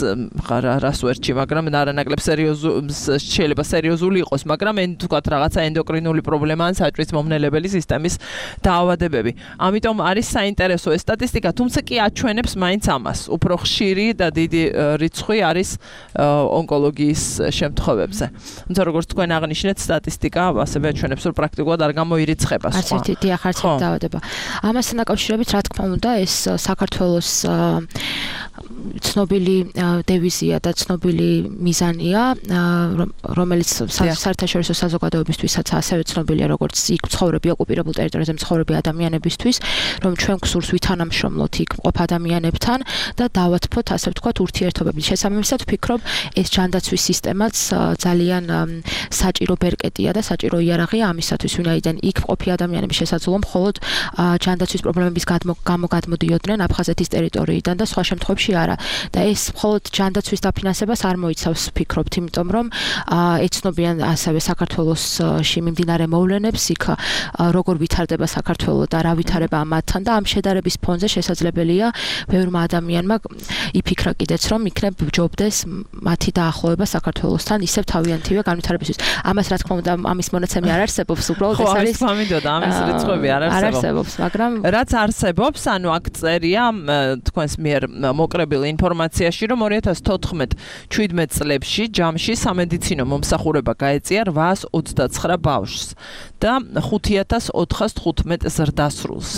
Speaker 2: რას ვერჩი მაგრამ არანაკლებ შეიძლება სერიოზული იყოს მაგრამ ვთქვათ რაღაცა ენდოკრინული პრობლემა ან საჭმლის მომნელებელი სისტემის დაავადებები ამიტომ არის საინტერესო ეს სტატისტიკა თუმცა კი აჩვენებს მაინც ამას უფრო ხშირი და დიდი რიცხვი არის ონკოლოგიის შემთხვევებზე თუმცა როგორც თქვენ აღნიშნეთ სტატისტიკა ასევე აჩვენებს რომ პრაქტიკულად არ გამოირიცხება სხვა.
Speaker 6: არც ერთი დიახ არც ერთი დაავადება. ამასთან დაკავშირებით რა თქმა უნდა ეს საქართველოს ცნობილი დევიზია და ცნობილი მიზანია რომელიც საერთაშორისო საზოგადოებისთვისაც ასევე ცნობილია როგორც იქ მცხოვრები ოკუპირებულ ტერიტორიაზე მცხოვრები ადამიანებისთვის რომ ჩვენ გსურს ვითანამშრომლოთ იქ მყოფ ადამიანებთან და დავათფოთ ასე ვთქვათ ურთიერთობები შესაბამისად ვფიქრობ ეს ჯანდაცვის სისტემაც ძალიან საჭირო ბერკეტია და საჭირო იარაღია ამისათვის ვინაიდან იქ მყოფი ადამიანების შესაძლოა მხოლოდ ჯანდაცვის პრობლემების გამო გადმოდიოდნენ აფხაზეთის ტერიტორიიდან და სხვა შემთხვევებში არა და ეს მხოლოდ ჯანდაცვის დაფინანსებას არ მოიცავს ვფიქრობთ იმიტომ რომ ეცნობიან ასევე საქართველოსში მიმდინარე მოვლენებს იქ როგორ ვითარდება საქართველო და რა ვითარება ამათთან და ამ შედარების ფონზე შესაძლებელია ბევრმა ადამიანმა იფიქრა კიდეც რომ იქნებ ჯობდეს მათი დაახლოება საქართველოსთან ისევ თავიანთივე განვითარებისთვის ამას რა თქმა უნდა ამის მონაცემი არ არსებობს უბრალოდ ეს არის
Speaker 2: ხო ამის ამის რიცხვები არ
Speaker 6: არსებობს მაგრამ
Speaker 2: რაც არსებობს ანუ აქ წერია თქვენს მიერ მოკრებილი ინფორმაციაში რომ 2014-17 წლებში ჯამში სამედიცინო მომსახურება გაეწია 829 ბავშვს და 5415 ზრდასრულს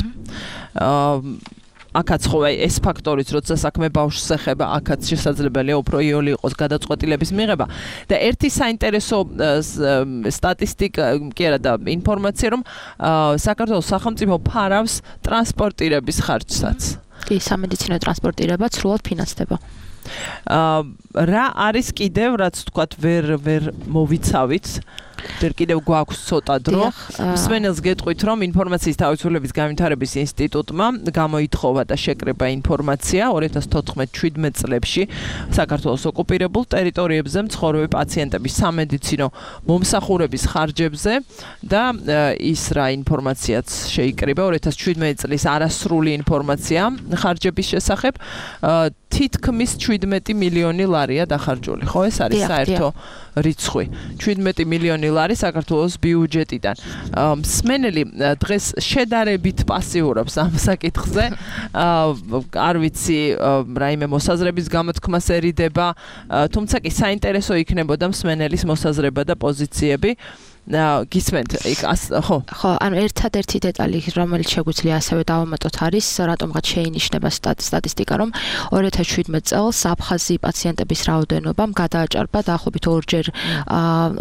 Speaker 2: აქაც ხო ეს ფაქტორიც როცა საქმე ბავშვს ეხება აქაც შესაძლებელია უფრო იოლი იყოს გადაწყვეტილების მიღება და ერთი საინტერესო სტატისტიკა კი არა და ინფორმაცია რომ საქართველოს სახელმწიფო ფარავს ტრანსპორტირების ხარჯსაც
Speaker 6: კი სამედიცინო ტრანსპორტირება სრულად ფინანსდება
Speaker 2: რა არის კიდევ რაც თქვათ ვერ მოვიცავით ვერ კიდევ გვაქვს ცოტა დრო მსმენელს გეტყვით რომ ინფორმაციის თავისუფლების განვითარების ინსტიტუტმა გამოითხოვა და შეკრება ინფორმაცია 2014-17 წლებში საქართველოს ოკუპირებულ ტერიტორიებზე მცხოვრები პაციენტების სამედიცინო მომსახურების ხარჯებზე და ის რა ინფორმაციაც შეიკრიბა 2017 წლის არასრული ინფორმაცია ხარჯების შესახებ თითქმის 17 მილიონი ლარია დახარჯული ხო ეს არის საერთო რიცხვი 17 მილიონი ლარი საქართველოს ბიუჯეტიდან მსმენელი დღეს შედარებით პასიურობს ამ საკითხზე არ ვიცი რაიმე მოსაზრების გამოთქმასერიდება თუმცა კი საინტერესო იქნებოდა მსმენელის მოსაზრება და პოზიციები გისმენთ იქ ხო
Speaker 6: ანუ ერთადერთი დეტალი რომელიც შეგვიძლია ასევე დავამატოთ არის რატომღაც შეინიშნება სტატისტიკა რომ 2017 წელს აფხაზი პაციენტების რაოდენობამ გადააჭარბა დაახლოებით 2-ჯერ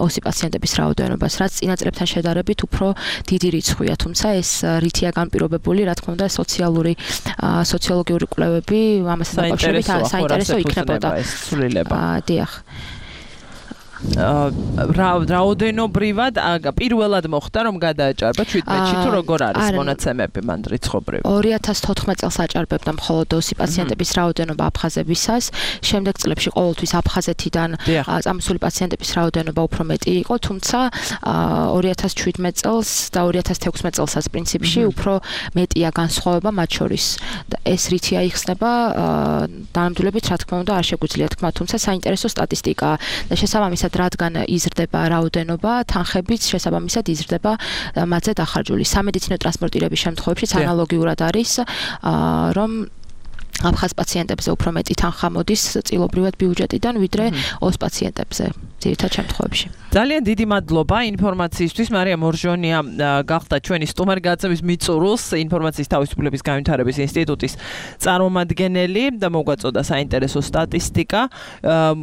Speaker 6: ოსი პაციენტების რაოდენობას რაც წინა წლებთან შედარებით უფრო დიდი რიცხვია თუმცა ეს რითია განპირობებული რა თქმა უნდა სოციოლოგიური კვლევები ამასთან დაკავშირებით საინტერესო იქნებოდა დიახ
Speaker 2: რაოდენობრივად პირველად მოხდა რომ გადააჭარბა 17-ში თუ როგორ არის მონაცემები მან რიცხობრივ
Speaker 6: 2014 წელს აჭარბებდა მხოლოდ ოსი პაციენტების რაოდენობა აფხაზებისას შემდეგ წლებში ყოველთვის აფხაზეთიდან წამოსული პაციენტების რაოდენობა უფრო მეტი იყო თუმცა 2017 წელს და 2016 წელსაც პრინციპში უფრო მეტია განსხვავება მათ შორის ეს რითია იხსნება დანამდვილებით რა თქმა უნდა არ შეგვიძლია თქვა თუმცა საინტერესო სტატისტიკაა და შესაბამისად რადგან იზრდება რაოდენობა, თანხებიც შესაბამისად იზრდება მათზე დახარჯული. სამედიცინო ტრანსპორტირების შემთხვევაშიც ანალოგიურად არის, რომ აფხაზ პაციენტებზე უფრო მეტი თანხა მოდის წილობრივად ბიუჯეტიდან, ვიდრე ოს პაციენტებზე ძირითად შემთხვევებში.
Speaker 2: ძალიან დიდი მადლობა ინფორმაციისთვის. მარია მორჟონია გახდა ჩვენი სტუმარ-გაცემის მიწურულს ინფორმაციის თავისუფლების განვითარების ინსტიტუტის წარმომადგენელი და მოგვაწოდა საინტერესო სტატისტიკა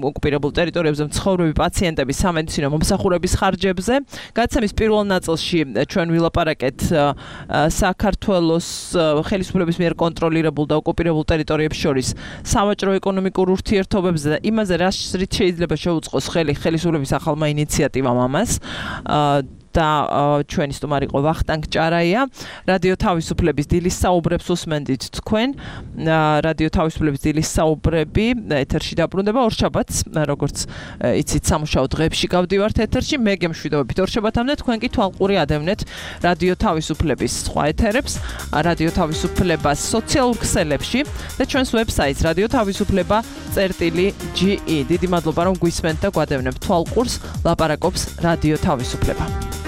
Speaker 2: ოკუპირებულ ტერიტორიებზე მცხოვრები პაციენტების სამედიცინო მომსახურების ხარჯებზე. გაცემის პირველ ნაწილში ჩვენ ვილაპარაკეთ საქართველოს ხელისუფლების მიერ კონტროლირებულ და ოკუპირებულ ტერიტორიებს შორის სავაჭრო ეკონომიკურ ურთიერთობებზე და იმაზე რით შეიძლება შეუწყოს ხელისუფლების ახალმა ინიციატივამ ამას და ჩვენი სტუმარი იყო ვახტანგ ჭარაია რადიო თავისუფლების დილის საუბრებს უსმენდით თქვენ რადიო თავისუფლების დილის საუბრები ეთერში დაბრუნდება ორშაბათს როგორც იცით სამუშაო დღეებში გავდივართ ეთერში მე გემშვიდობებით ორშაბათამდე თქვენ კი თვალყური ადევნეთ რადიო თავისუფლების სხვა ეთერებს რადიო თავისუფლებას სოციალურ ქსელებში და ჩვენს ვებსაიტს radiotavisufleba.ge დიდი მადლობა რომ გვისმენთ და გვადევნებთ თვალყურს ლაპარაკობს რადიო თავისუფლება